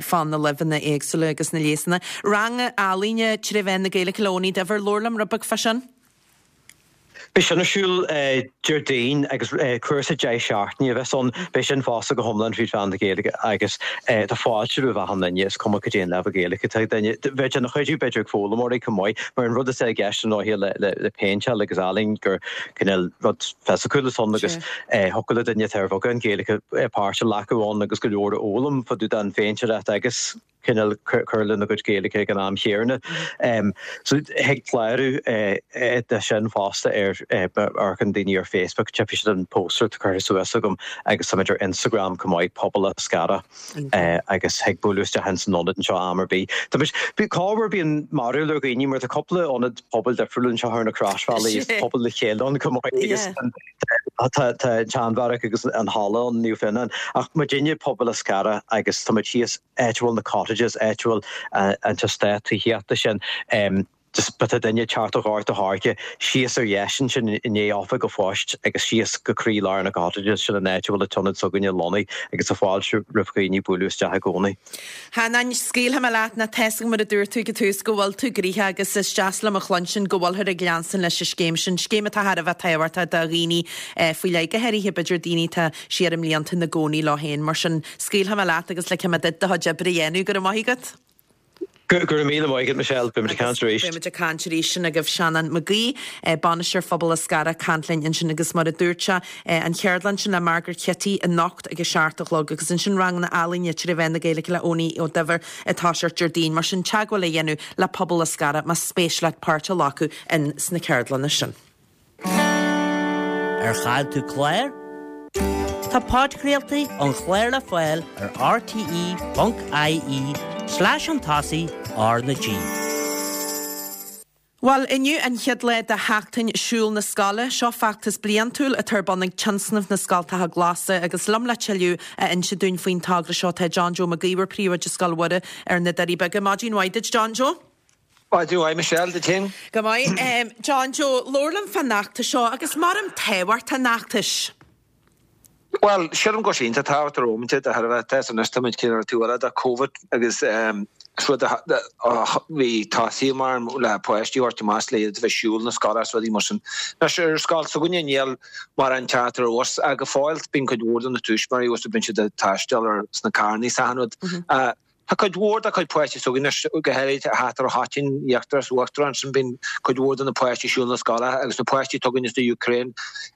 fá na luibheanna éagsúla agus na leigheasanna. Rang ealaíne tré mheán na Gaeilge le Eoin Uí Duibhir, labhair liom rud beag fá sin. Beidh sin ar siúl Déardaoin agus cúrsa 10 seachtaine a bheas ann. Beidh sin fosta go hiomlán fríd mheán na Gaeilge agus tá fáilte roimh achan duine, is cuma cad é an leibhéal Gaeilge atá ag duine. Bheadh sé ina chuidiú b'fhéidir ag foghlaimeoirí chomh maith mar an rud atá i gceist ar ndóigh le péinteáil agus ealaín gur cineál rud fisiciúil atá ann agus thiocfadh le duine atá ar bheagán Gaeilge páirt a ghlacadh ann agus go leor a fhoghlaim fá dtaobh den phéintéireacht agus cineál cur lena gcuid Gaeilge ag an am chéanna. So thig clárú do sin fosta ar amharcann daoine ar Facebook, tchífidh siad an póstaer atá curtha suas agam agus táimid ar Instagram chomh maith, Pobal Eascarrach agus thig bualadh isteach ins an ionad anseo am ar bith. Tá muid, corruair bíonn mearbhall ar dhaoine mar tá cúpla ionad pobail difriúil anseo ar na Croisbhealaí, is pobal le chéile ann chomh maith agus tá an tSeanbheairic agus an halla ann, Naomh Fionán, ach muidinne Pobal Eascarrach agus tá muid thíos áit a bhfuil na cottages, áit a bhfuil an t-eastát tithíochta sin, just má tá duine ag teacht ó Ghort a' Choirce, síos ar dheis ansin i ndiaidh oifig an phoist agus síos go croí lár na cottages, sin an áit a bhfuil an t-ionad s'againne lonnaithe agus tá fáilte roimh dhaoine bualadh isteach i gcónaí. Sheanáin, scaoilfidh mé leat nó tá's agam mar a dúirt tú ag an tús go bhfuil tú gnoitheach agus is deas liom a chluinstin go bhfuilthear ag leanstan leis an scéim sin, scéim atá thar a bheith tábhachtach do dhaoine faoi leith, go háirithe b'fhéidir daoine atá siar i mblianta ina gcónaí leo féin. Mar sin, scaoilfidh mé leat agus ligfidh mé duit do chuid oibre a dhéanamh. Go raibh maith agat. Go raibh míle maith agat, Michelle. Beimid ag caint arís. Beimid ag caint arís. Sin agaibh Seanán Mac Aoidh, Bainisteoir Phobal Eascarrach, ag caint linn ansin agus mar a dúirt sé, an cheardlann sin le Margaret Chitty anocht ag a seacht a chlog agus ansin ranganna ealaíne tré mheán na Gaeilge le Eoin Ó Duibhir ag toiseacht Déardaoin. Mar sin, teagmháil a dhéanamh le Pobal Eascarrach más spéis leat páirt a ghlacadh in sna ceardlanna sin. Ar chaill tú clár? Tá podchraoltaí an chláir le fáil ar rte.ie slash chun tosaigh R na G. Bhuel, inniu an chéad lá de Sheachtain Siúil na Scoile. Seo feachtas bliantúil atá ar bun ag Tionscnamh na Scoltacha Glasa agus liom le tuilleadh a inse dúinn faoin togra seo tá John Joe Mac Íomhair, Príomhoide Scoil Mhuire ar na Doirí Beaga. Maidin mhaith duit, John Joe. Maidin mhaith Michelle, duit féin. Go maith. John Joe, labhair liom fán fheachtas seo agus mar tábhacht an fheachtais. Bhuel, sílim go bhfuil sé iontach tábhachtach ar fhóminte de thairbhe tá fhios anois táimid cineál ar taobh eile de Covid agus is rud a bhí tosaithe mar le páistí a thabhairt amach le iad a bheith ag siúl na scoile is rudaí mar sin. Anois ar scoil s'againne níl mórán teacht ar bhus ach go fóill bíonn cuid mhór de na tuismitheoirí agus bíonn siad ag taisteal ar sna carrannaí is achan rud. Tá cuid mhór dá cuid páistí s'againn anois, go háirithe thart ar an Choitín, Íochtar is Uachtar ansin, bíonn cuid mhór de na páistí ag siúl na scoile agus na páistí atá againn as the Ukraine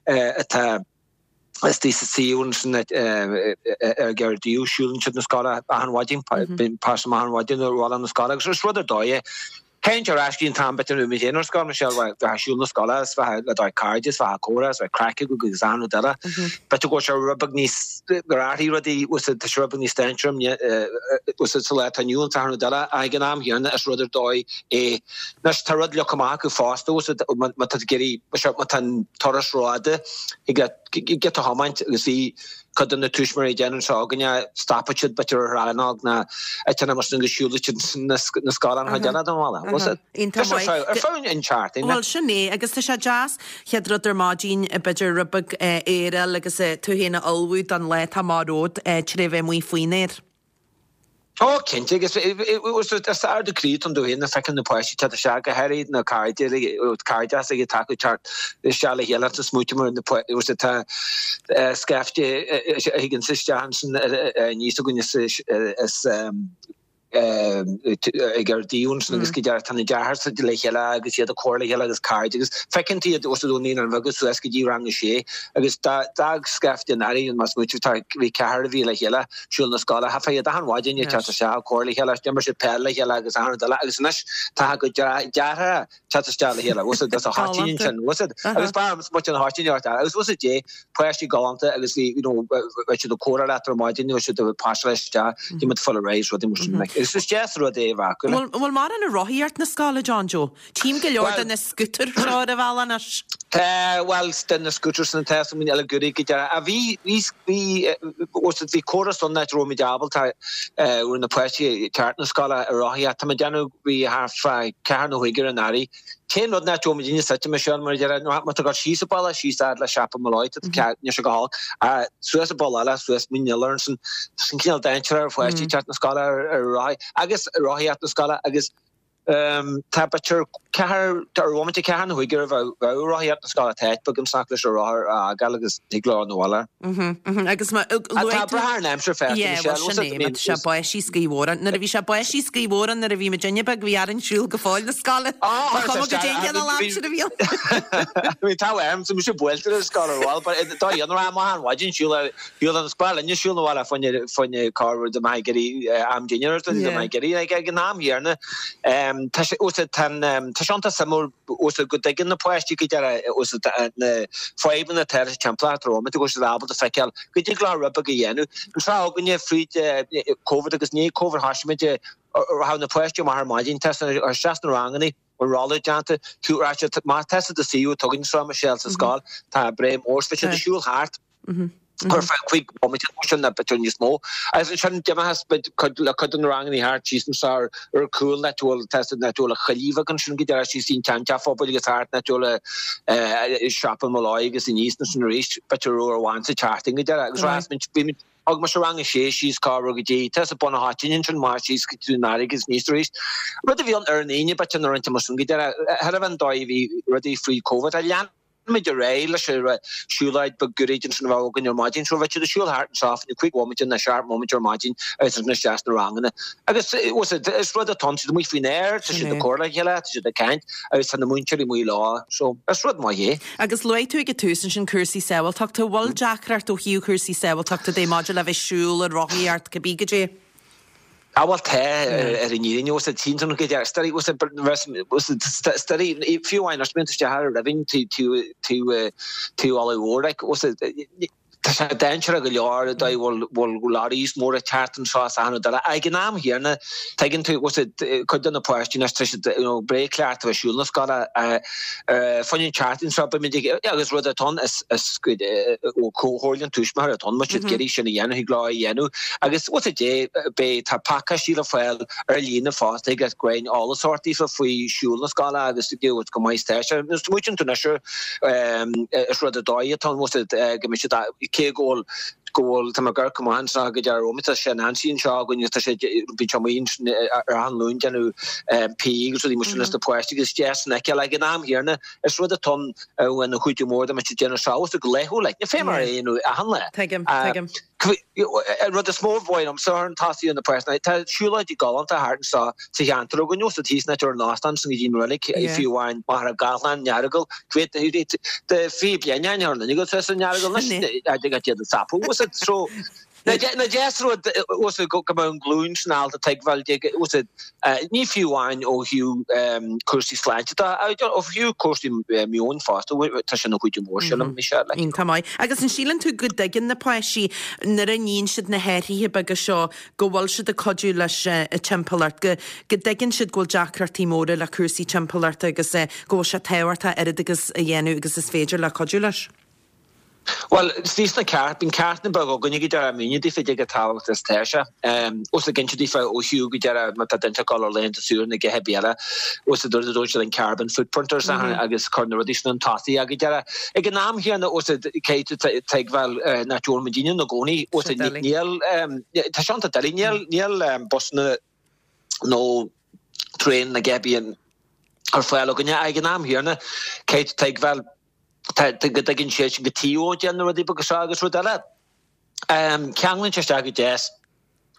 atá istigh sa suíomh ansin ar Gardaí, siúlann siad na scoile achan mhaidin, bíonn páiste amach achan mhaidin ar bhealach na scoile agus is rud ar dóigh é. Théann ar ais go dtí an t-am b'fhéidir nuair a bhí mé féin ar scoil, Michelle, bheith ag siúl na scoile is bheith le do chairde is bheith ag comhrá is bheith craic agat agus achan rud eile. B'fhéidir go bhfuil sé rud beag níos, gur athraigh rudaí, tá sé rud beag níos dainséaraí sa lá atá inniu ann is achan rud eile ach ag an am chéanna is rud ar dóigh é. Anois tá rud leagtha amach acu fosta, má tá tú ag iarraidh, má tá an turas rófhada, thig leat giota a thiomáint agus bhí cuid de na tuismitheoirí ag déanamh anseo againne, stopfaidh siad b'fhéidir ar rannóg nó áiteanna mar sin agus siúlfaidh siad na scoileanna an chuid eile den bhaile. Bhfuil siad? Iontach maith. Ar feadh an tseachtain. Bhuel, sin é, agus tá sé deas, chéad rud ar maidin, b'fhéidir rud beag aeráil agus tú féin a ullmhú don lá atá amach romhat tré bheith amuigh faoin aer. Ó, cinnte, agus is ardú croí atá ann domh féin nuair a feicim na páistí teacht isteach, go háirithe na cairde, cairdeas ag taca teacht isteach le chéile agus smaointe mar na tá scaifte a thigeann isteach ansin aníos againn is ag ar díon ansin agus go deimhin tá na deartháireacha le chéile agus iad ag comhrá le chéile agus cairde agus feiceann tú iad os a naíonáin bheaga suas go dtí rang a sé agus d'fhág scaifte an airí más smaointe tá bhí ceathrar a bhí le chéile siúl na scoile. Theifeadh iad achan mhaidin ag teacht isteach ag comhrá le chéile, d'imir siad peil le chéile agus achan rud eile agus anois tá a gcuid deartháireacha teacht isteach le chéile. Bhfuil fhios agat, sa Choitín ansin, bhfuil fhios agat. Agus b'fhearr liom smaointe an Choitín a agus bhfuil fhios agat dé, páistí galánta agus bhí, you know, bheadh siad ag comhrá leat ar maidin, bheadh siad ag pasáil isteach, bhí muid full of rice, rudaí mar sin. Agus is deas an rud é a bheith acu. Bhfuil bhfuil mórán ag rothaíocht na scoile, John Joe? Tchím go leor de na scútair seo ar an bhealach anois. Tá, bhuel, de na scooters na tá san eile goodie go deireadh. Ach bhí, bhí, bhí, bhí córas ann áit a raibh muid ábalta, raibh na páistí ag teacht na scoile ag rothaíocht. Tá mé ag déanamh, bhí thart fá ceathair nó chúig ar an earraigh. T-aon rud ná go raibh muidinne suite, Michelle, mar a déarfá, má tá tú ag dul síos an bealach, síos fhad le Siopa Molloy, tá tú ceart, níl sé go holc, ach suas an bealach eile, suas Mín an Oileáin ansin, tá sin cineál dainséarach ar pháistí teacht na scoile ar rothaí, agus rothaíocht na scoile agus. Tá b'fhéidir ceathair, ar bhomaite ceathair nó cúigear a bheadh ag rothaíocht na scoile, tá áit beag ansan leis an rothar a fhágáil agus thig leo na bhaile. Agus má luaigh tú. Tá brath ar an aimsir fosta, Yeah, Michelle, bhuel sin é, má tá sé báistí is gaoth mhór ann. Nuair a bhí sé báistí is gaoth mhór ann nuair a bhí muidinne beag bhí orainn siúl go fóill na scoile. Á, Ba chuma goidé an cineál aimsire a bhí ann. Bhí tá uaim, so mise buailte ar an scoil ar bhall, but dá dhéanamh amach an mhaidin siúl ar Shiúil an scoil inniu, siúl na bhaile fá choinne fá choinne corruair do mbeadh ag iarraidh am dinnéir or do mbeadh ag iarraidh like ag an am chéanna. Tá sé úsáid tá an tá sé iontach suimiúil úsáid go dtuigeann na páistí go deireadh úsáid na fadhbanna atá leis an timpeallacht rompu go bhfuil siad ábalta feiceáil go dtig leo rud beag a dhéanamh. An tráth againne fríd Covid agus i ndiaidh Covid thoisigh muid rachadh na páistí amach ar maidin tá isteach sna ranganna an rolla déanta, tú má tá siad i do suíomh atá againn anseo Michelle sa scoil tá breá mór so bheadh siad ag siúl thart. Ar feadh 5 bomaite nó sin nó b'fhéidir níos mó. Agus ansin d'imeochas muid cuid le cuid de na ranganna thart síos anso ar ar cúl áit a bhfuil tá siad áit a bhfuil an choillidh bheag ansin go deireadh síos an tseanteach phobail agus thart áit a bhfuil siopa Molloy agus aníos ansin arís b'fhéidir uair amháin sa tseachtain go deireadh agus rás muid bhí muid thug mise rang a sé síos corruair go dtí tá sa Bun an Choitín ansin amach síos go dtí an fharraige agus aníos arís. Rud a bhí ann ar an Aoine b'fhéidir nuair a rinne muid sin go deireadh thairbhe an dóigh a bhí rudaí faoi Covid a lean muid ar aghaidh leis an siúlóid beag gairid ansin a bheadh againn ar maidin. So bheadh siad ag siúl thart anseo fá choinne 5 bhomaite nó 7 mbomaite ar maidin agus ansin isteach sna ranganna. Agus is rud atá ann, siad amuigh faoin aer, tá siad ag comhrá le chéile, tá siad ag caint agus tá na múinteoirí amuigh leo. So is rud maith é. Agus luaigh tú ag an tús ansin cúrsaí sábháilteachta. Bhfuil deacracht ó thaobh cúrsaí sábháilteachta de maidir le bheith ag siúl, ag rothaíocht, cibé goidé? Ah bhuel tá, ar an fhírinne, bhfuil tchíonn tú go dear, stairí, bhfuil stairí, fiú amháin anois, bíonn tú isteach ar an roimhinn, taobh taobh Uladh Mhór, like, bhfuil tá sé dainséarach go leor, an dóigh bhfuil bhfuil lorries móra ag teacht anseo is achan rud eile. Ag an am chéanna, tuigeann tú, bhfuil cuid de na páistí anois, tá siad, you know, breá cleachta a bheith ag siúl na scoile, fá choinne an tseachtain seo, beimid ag, agus rud atá ann is, is ó Chomhairle an Tuismitheoirí atá ann, má tá siad ag iarraidh sin a dhéanamh, thig leo é a dhéanamh. Agus what's it day, beidh, tá pacáistí le fáil ar líne fosta ag roinnt eolas a thabhairt daofa faoi siúl na scoile agus you know, go maith is tá sé. Nuair a smaoitíonn tú anois air, is rud ar dóigh atá ann, what's it, go mbeidh siad, cé go bhfuil, go bhfuil, tá mé ag amharc amach anseo go deireadh romhat, tá sé Nancy anseo againn agus tá sé, bíonn sé amuigh ansin ar achan Luan ag déanamh PE agus rudaí mar sin leis na páistí agus is deas an fheiceáil. Ag an am chéanna, is rud atá ann ina chuidiú mór dá mbeadh siad ag déanamh seo go laethúil, like, ní féidir mar é a dhéanamh achan lá. Tuigim, tuigim. An rud is mó a ba mhaith liomsa ar an tosaí ar na páistí, tá siúlóidí galánta thart anseo sa cheantar againn, ó sa thíos an áit a raibh an óstán sin go dtí an reilig, fiú amháin Machaire Gathlán, an Earagail, de fiche bliain ó shin, ar an Earagail, sa san Earagail, anois, ag iad ag sapadh, so Nach deas rud go mbeadh an ghlúin sin ábalta tuigbheáil di, ní fiú amháin ó thaobh cúrsaí sláinte de, ach ó thaobh cúrsaí meoin fosta, tá sé ina chuidiú mór, sílim, Michelle. Iontach maith. Agus an síleann tú go dtuigeann na páistí nuair a níonn siad na hathruithe beaga seo go bhfuil siad ag cuidiú leis an timpeallacht, go go dtuigeann siad go bhfuil deacrachtaí móra le cúrsaí timpeallachta agus go bhfuil sé tábhachtach oiread agus a dhéanamh agus is féidir le cuidiú leis? Bhuel, thíos sna ceart, bíonn ceachtanna beaga againne go deireadh míne daofa cé chomh tábhachtach is atá sé. Os ag inse daofa ó thaobh go deireadh má tá duine ag dul ar laethanta saoire nó a dhath ar bith eile, os a dúirt a dúirt siad an carbon footprint ar son agus cur na rudaí sin chun tosaigh go deireadh. Ag an am chéanna os a caithfidh tú tuigbheáil nach bhfuil muidinne ina gcónaí os a níl tá sé iontach doiligh níl níl busanna nó traein nó a dhath ar bith ar fáil againne. Ag an am chéanna caithfidh tú tuigbheáil Tá, go dtuigeann siad sin go taobh ó déanamh na rudaí beaga seo agus rud eile. Ceanglaíonn sé isteach go deas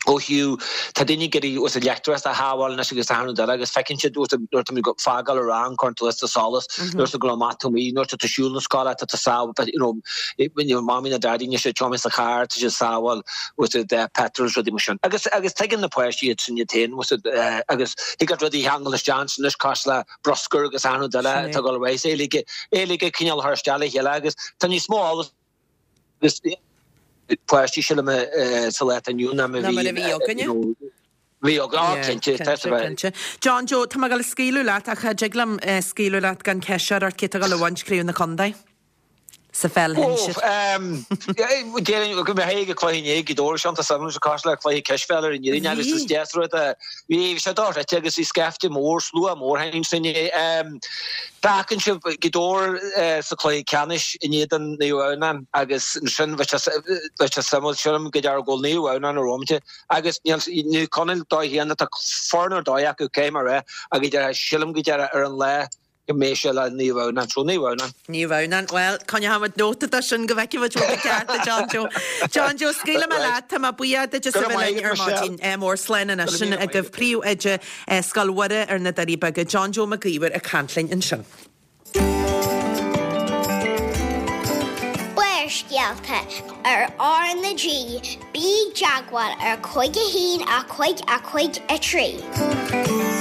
ó thaobh, tá daoine ag iarraidh úsáid leictreachas a shábháil anois agus achan rud eile agus feiceann siad nuair atá muid ag fágáil an rang, cuireann tú liosta solas, nuair atá tú ag dul amach taobh amuigh, nuair atá tú ag siúl na scoile, tá tú sábháil, you know, you know, mamaí nó daidí anois ag tiomáint sa charr, tá siad ag sábháil úsáid petrol is rudaí mar sin. Agus, agus tuigeann na páistí iad sin iad féin, agus thig leat rudaí a cheangal isteach ansin anois cosúil le bruscar agus achan rud eile atá ag dul ar aghaidh. Is é uilig ag cineál a chur isteach le chéile agus tá níos mó eolas agus páistí sílim sa lá atá inniu ná mar a bhí againne. Bhí á, cinnte, tá a bheith. Cinnte. John Joe, tá mé ag dul a scaoileadh leat ach cha dtig liom scaoileadh leat gan ceist a chur ort cé tá ag dul a bhaint craobh na contae sa pheil shinsir. Déarfainn go mbeidh ag cluiche inné Gaoth Dobhair seo tá suimiúil sa cás le cluiche cispheile ar an fhírinne agus is deas rud a bhí sé dochreidte agus bhí scaifte mór, slua mór féin sin inné. D'fhéachann sibh Gaoth Dobhair sa chluiche ceannais in éadan Naomh Adhamhnáin agus ansin bheadh sé suimiúil sílim go dearfadh go bhfuil Naomh Adhamhnáin rompu Agus níl Naomh Conaill dóigh féin, tá foireann ar dóigh acu, caithfidh mé a rá, agus deir sílim go deireadh ar an lá go mbeidh sé le Naomh Adhamhnáin. So Naomh Adhamhnáin. Naomh Adhamhnáin. Bhuel, coinneoidh muid nóta de sin go bhfeicfidh muid bhfuil tú ceart, a John Joe. John Joe, scaoilfidh mé leat, tá mé buíoch duit as a bheith linn ar maidin. Ádh mór, slán anois. Sin agaibh príomhoide Scoil Mhuire ar na Doirí Beaga, John Joe Mac Íomhair ag caint linn ansin. Barrscéalta ar R na G, bí i dteagmháil ar 5 1 5 5 3.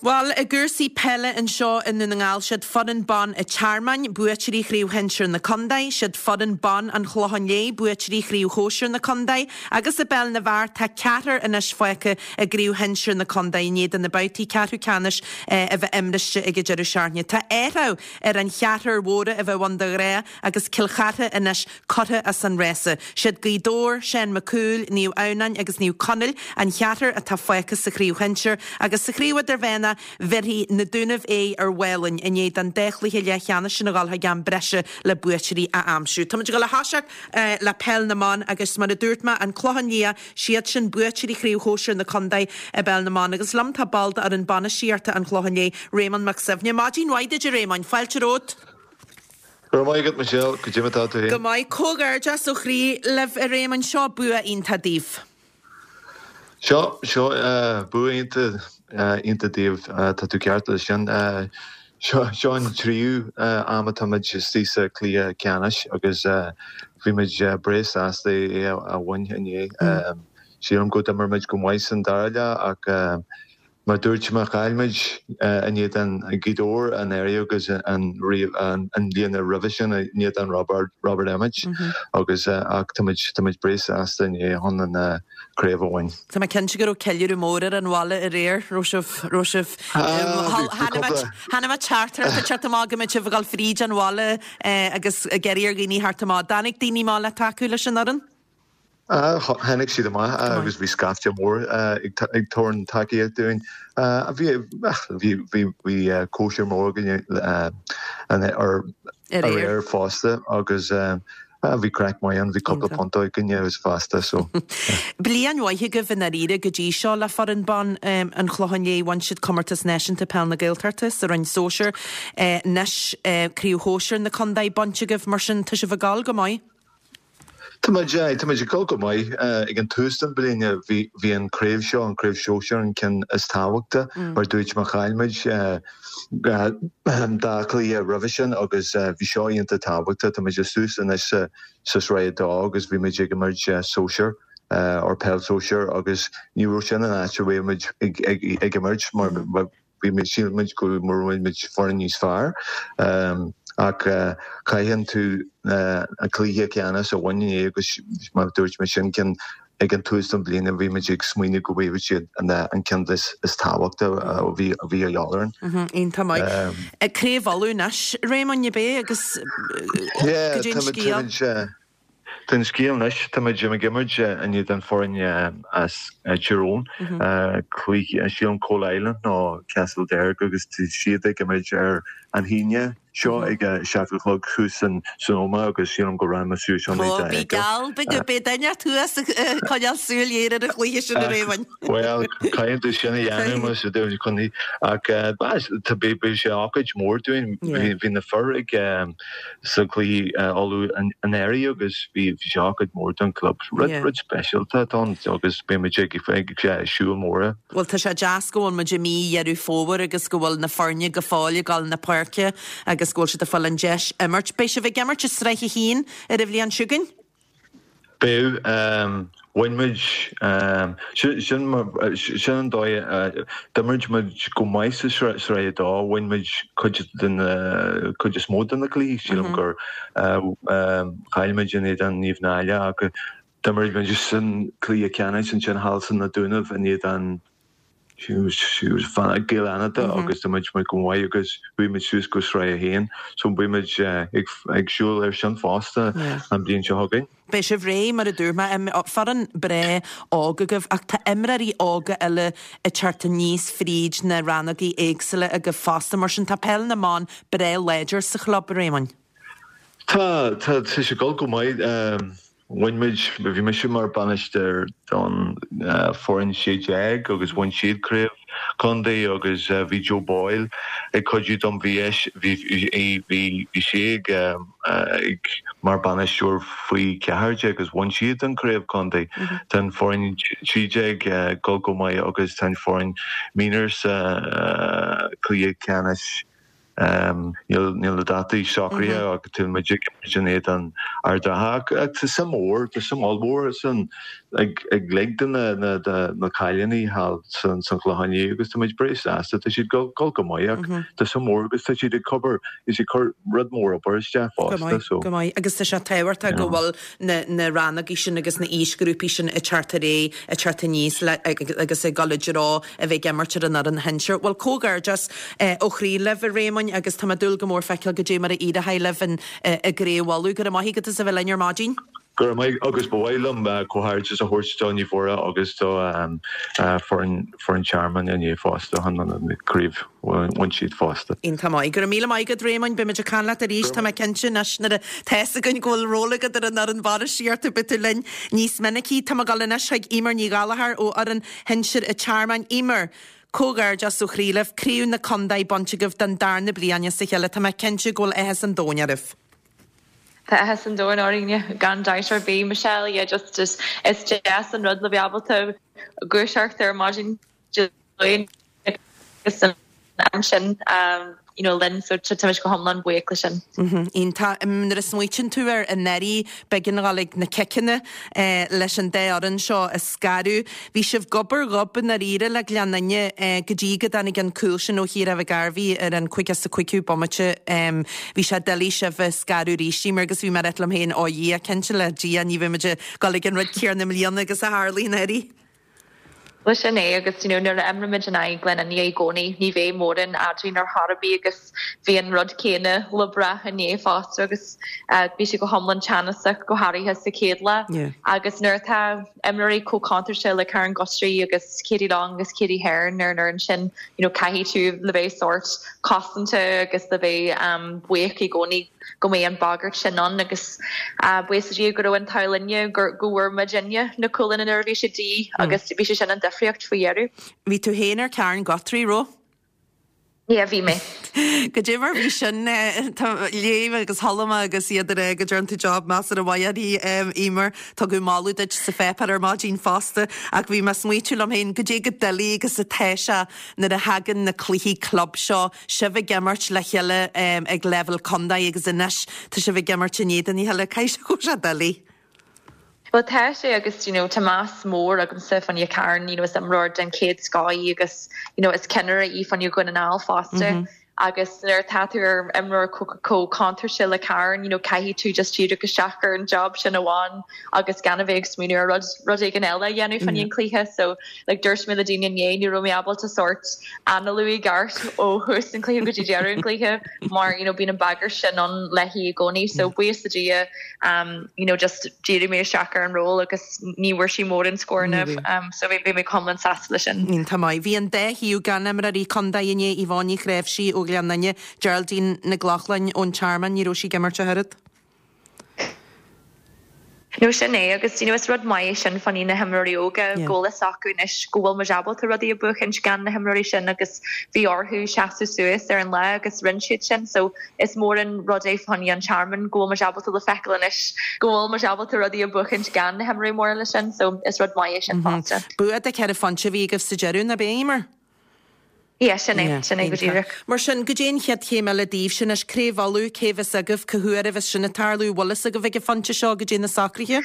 Bhuel, i gcúrsaí peile anseo i nDún na nGall, siad foireann ban an Tearmainn, buaiteoirí Chraobh Shinsir na Contae, siad foireann ban an Chlocháin Léith, buaiteoirí Chraobh Shóisir na Contae, agus i bpeil na bhfear tá ceathrar anois fágtha i gCraobh Shinsir na Contae i ndiaidh do na babhtaí ceathrú ceannais a bheith imriste ag an deireadh seachtaine. Tá athrú ar an cheathrar mhóra a bheadh ann de ghnáth agus Cill Chartha anois curtha as an rása. Siad Gaoth Dobhair, Seán Mac Cumhaill, Naomh Adhamhnáin agus Naomh Conaill an cheathrar atá fágtha sa chraobh shinsir agus sa chraobh idirmheánach bhéarfaidh Na Dúnaibh aghaidh ar Mhálainn i ndiaidh don dá chluiche leathcheannais sin a dhul chuig am breise le buaiteoirí a aimsiú. Táimid ag dul a thoiseacht le peil na mban agus mar a dúirt mé, an Clochán Liath, Siad sin buaiteoirí Chraobh Shóisir na Contae i bPeil na mBan. Agus liom tá ball d'fhoireann bainistíochta an Chlocháin Léith, Réamonn Mac Suibhne. Maidin mhaith duit a Réamoinn, fáilte romhat. Go raibh maith agat Michelle, goidé mar atá tú féin? Go maith. Comhghairdeas ó chroí libh a Réamoinn, seo bua iontach daoibh. Seo, seo bua iontach, iontach daoibh, tá tú ceart leis sin. Seo an tríú am atá muid istigh sa chluiche ceannais agus bhí muid breá sásta é a bhaint inné. Sílim go d'imir muid go maith san dara leath ach mar dúirt mé chaill muid in éadan Gaoth Dobhair anuraidh agus an bhliain roimhe sin in éadan Robert Emmet agus ach tá muid tá muid breá sásta inné chun an craobh a bhaint. Tá mé cinnte go raibh ceiliúradh mór ar an bhaile aréir. Raibh sibh, raibh sibh, chonaic mé teachtaireacht ag teacht amach go mbeadh sibh ag dul fríd an bhaile agus ag iarraidh ar dhaoine theacht amach. Dtáinig daoine amach le tacú leis an fhoireann? Tháinig siad amach agus bhí scaifte mór ag tabhairt tacaíocht dúinn. Bhí, bhí, bhí, bhí cóisir mór againn aréir fosta agus Bhí craic maith ann, bhí cúpla punt againne agus fosta so. Bliain mhaith agaibh i ndáiríre go dtí seo le foireann ban an Chlocháin Léith. Bhain siad Comórtas Náisiúnta Peil na Gaeltachta sa Roinn Sóisir. Anois Craobh Shóisir na Contae bainte agaibh, mar sin tá sibh ag gabháil go maith. Tá muid, aye, tá muid ag gabháil go maith. Ag an tús den bliain bhí, bhí an craobh seo, an craobh sóisir an ceann is tábhachta mar dúirt mé chaill muid dá chluiche roimhe sin agus bhí seo iontach tábhachtach. Tá muid suas anois sa sraith 2 agus bhí muid ag imirt sóisir or peil sóisir agus ní raibh sin an áit a raibh muid ag imirt mar bhí muid shíl muid go raibh muid foireann níos fearr ach caitheann tú an cluiche ceannais a bhain inné agus mar dúirt mé sin ceann Ag an tús den bhliain bhí muid ag smaoineamh go bhfaigheadh siad an ceann is tábhachta a bhí a dhíobháil orainn. Iontach maith. Craobh Uladh anois, Réamoinn, ab é agus goidé an scéal? Tá an scéal anois, tá muid ag imirt in éadan foireann as Tír Eoghain, cluiche, sílim Coalisland nó Castlederg agus tá siad ag imirt ar an hAoine. seo ag a 7 a chlog thuas san Ómaigh agus sílim go rachaidh mé suas ann Ó, bí geall, bí go, beidh duine thuas ag coinneáil súil ghéar ar an chluiche sin a Réamoinn. Bhuel, caithfidh tú sin a dhéanamh más do chun ach tá beidh sé ócáid mór dúinn. Bhí na fir ag sa chluiche Uladh anuraidh agus bhí sé ócáid mór don club. Rud rud speisialta atá ann agus beidh muid ag ag siúl móra. Bhuel, tá sé deas go bhfuil muid i mí Dheireadh Fómhair agus go bhfuil na foirne go fóill ag dul na páirce agus go bhfuil siad ag fáil an deis imirt. Beidh sibh ag imirt i Sraith 1 ar an bhliain seo chugainn? Beidh. Bhain muid, sin sin an dóigh, d'imir muid go maith sa Sraith 2, bhain muid cuid de na, cuid is mó de na cluichí, sílim gur chaill muid in éadan Naomh Náille ach. D'imir muid san cluiche ceannais ansin thall san na Dúnaibh in éadan Gaeil Fhánada agus d'imir muid go maith agus chuaigh muid suas go Sraith 1 so beidh muid ag siúl ar sin fosta an bhliain seo chugainn. Beidh sibh réidh mar a dúirt mé, foireann breá óg agaibh ach tá imreoirí óga eile ag teacht aníos fríd na rannógaí éagsúla agaibh fosta mar sin tá peil na mban breá láidir sa chlub, a Réamoinn. Tá, tá, tá sé ag dul go maith. Bhain muid, bhí mise mar bainisteoir don foireann 16 agus bhain siad craobh contae agus bhí Joe Boyle ag cuidiú dom, bhí bhí bhí sé ag ag mar bainisteoir faoi 14 agus bhain siad an craobh contae. Tá an foireann 13 ag dul go maith agus tá an foireann mionúir sa cluiche ceannais Níl na dátaí socraithe ach tá muid ag imirt in éadan Ard Átha ach tá suim mhór, tá suim ollmhór san ag cuid de na cailíní thall san Chlochán Liath agus tá muid breá sásta, tá siad ag dul go maith ach tá suim mhór agus tá siad ag obair, is ag cur rud mór obair isteach fosta so. Go maith, agus tá sé tábhachtach go bhfuil na rannógaí sin agus na aoisghrúpaí sin ag teacht ar aghaidh, ag teacht aníos le agus ag dul i dtreo a bheith ag imirt ar an fhoireann shinsir. Bhuel, comhghairdeas ó chroí libh, a Réamoinn, agus tá mé ag dúil go mór feiceáil goidé mar a éireoidh libh i gCraobh Uladh. Go raibh maith agat as a bheith linn ar maidin. Go raibh maith, agus ba mhaith liom comhghairdeas a thabhairt do Naomh Mhuire agus do foireann an Tearmainn inné fosta chun an craobh bhain siad fosta. Iontach maith. Go raibh míle maith agat, Réamoinn. Beidh muid ag caint leat arís, tá mé cinnte anois, nuair atá fhios againn go bhfuil ról agat ar an fhoireann bainistíochta, beidh tú linn níos minicí. Tá mé ag dul anois chuig Eimear Ní Ghallchóir ó fhoireann shinsir an Tearmainn. Eimear, comhghairdeas ó chroí libh, Craobh na Condae bainte agaibh don darna bliain as a chéile. Tá mé cinnte go bhfuil áthas an domhain oraibh. Tá áthas an domhain orainn, gan dabht ar bith, Michelle. Yeah, just is deas an rud le bheith ábalta gluaiseacht ar maidin Dé Luain agus an am sin you know linn so táimid go hiomlán buíoch le sin. Iontach. Nuair a smaoitíonn tú ar anuraidh, b'éigean a dhul ag na ciceanna leis an dá fhoireann seo a scaradh. Bhí sibh gob ar ghob i ndáiríre le Gleann Fhinne go dtí go dtáinig an cúl sin ó Chiara McGarvey ar an 55ú bomaite. Bhí sé doiligh sibh a scaradh arís, Eimear, agus bhí mé ag rá liom féin, ó a Dhia, cinnte le Dia ní bheidh muid ag dul ag an rud céanna i mbliana agus a tharlaigh anuraidh. Bhuel sin é agus you know nuair a imrímid in aghaidh Gleann Fhinne i gcónaí ní bheidh mórán eadrainn ar chor ar bith agus bhí an rud céanna le brath inné fosta agus bhí sé go hiomlán teannasach go háirithe sa chéad leath agus nuair atá imreoirí chomh contúirteach le Karen Guthrie agus Katie Long agus Katie Hearn ar an fhoireann sin you know caithfidh tú le bheith sórt cosanta agus le bheith buíoch i gcónaí go mbeidh an bhagairt sin ann agus buíochas le Dia go raibh an t-ádh linne go bhfuair muidinne na cúlanna nuair a bhí sé de dhíth agus bhí sé sin an difríocht faoi dheireadh. Bhí tú féin ar Karen Guthrie, raibh? Yeah, bhí mé. Goidé mar bhí sin, léigh agus chuala mé agus iad ag rá go dtearn tú job measartha maith uirthi, Eimear. Tugadh moladh duit sa pháipéar ar maidin fosta ach bhí mé ag smaoitiú liom féin goidé chomh doiligh agus atá sé nuair a thagann na cluichí club seo, sibh ag imirt le chéile ag leibhéal contae agus anois tá sibh ag imirt in éadan a chéile, caithfidh sé go bhfuil sé doiligh. Bhuel tá sé agus you know tá meas mór agamsa fá choinne Karen, you know is imreoir den chéad scoth í agus you know is ceannaire í fá choinne Dhún na nGall fosta agus nuair atá tú ar imreoir chomh contúirteach le Karen, you know caithfidh tú just díriú isteach ar an job sin amháin agus gan a bheith ag smaoineamh ar rud rud éigin eile a dhéanamh fá choinne an cluiche so like dúirt mé le daoine inné ní raibh mé ábalta sórt análú i gceart ó thús an chluiche go dtí deireadh an chluiche mar you know bíonn an bagairt sin ann léi i gcónaí so buíochas le Dia um you know just dhírigh mé isteach ar an ról agus ní bhfuair sí mórán scóranna um so bhí bhí mé go hiomlán sásta leis sin. Iontach maith. Bhí an dá thaobh gan imreoirí contae inné, Yvonne Ní Chnáimhsí ó Ghleann Fhinne, Geraldine Nic Lochlainn ón Tearmann, ní raibh sí ag imirt ach oiread. No sin é agus you know is rud maith é sin fá choinne na himreoirí óga go bhfuil fhios acu anois go bhfuil muid ábalta rudaí a bhuachaint gan na himreoirí sin agus bhí orthu seasamh suas ar an lá agus rinne siad sin so is mór an rud é fá choinne an Tearmann go bhfuil muid ábalta le feiceáil anois go bhfuil muid ábalta rudaí a bhuachaint gan na himreoirí móra sin so is rud maith é sin fosta. Bua de cheithre phointe a bhí agaibh sa deireadh, nach b'é, Eimear? Yeah, sin é, sin é go díreach. Mar sin, goidé an chéad chéim eile daoibhse anois? Craobh Uladh, cé bheas agaibh, cá huair a bheas sin ag tarlú, bhfuil fhios agaibh ag an phointe seo goidé na socruithe?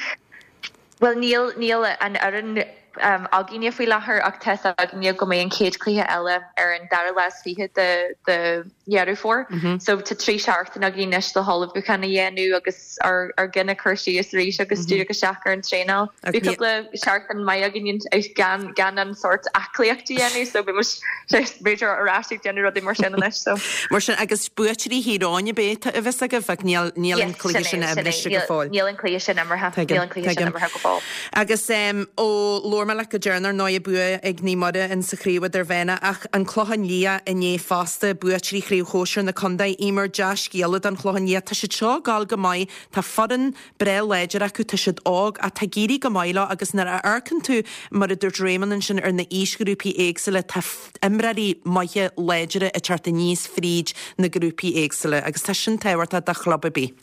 Bhuel, níl, níl an fhoireann. againne faoi láthair ach tá's againne go mbeidh an chéad chluiche eile ar an dara lá is 20 de Dheireadh Fómhair. So tá 3 seachtain againn anois le hullmhúchán a dhéanamh agus ár gcinn a chur síos arís agus díriú isteach ar an traenáil. Bhí cúpla seachtain maith againn gan gan an sórt aclaíocht a dhéanamh so beidh muid b'fhéidir ar ais ag déanamh rudaí mar sin anois so. Mar sin agus buaiteoirí Thír Eoghain ab é a bheas agaibh ach níl níl an cluiche sin imrithe go fóill. Níl an cluiche sin imeartha. Níl an cluiche sin imeartha go fóill. Agus ó labhair mé leat go deireanach ar ndóigh bua ag Naomh Muire in sa chraobh idirmheánach ach an Clochán Liath inné fosta, buaiteoirí chraobh shóisir na contae, Eimear, dea-scéala don Chlochán Liath. Tá siad seo ag gabháil go maith, tá foireann breá láidir acu, tá siad óg ach tá ag éirí go maith leo agus nuair a amharcann tú, mar a dúirt Réamonn ansin, ar na aoisghrúpaí éagsúla, tá imreoirí maithe láidre ag teacht aníos fríd na grúpaí éagsúla agus tá sin tábhachtach do chlub ar bith.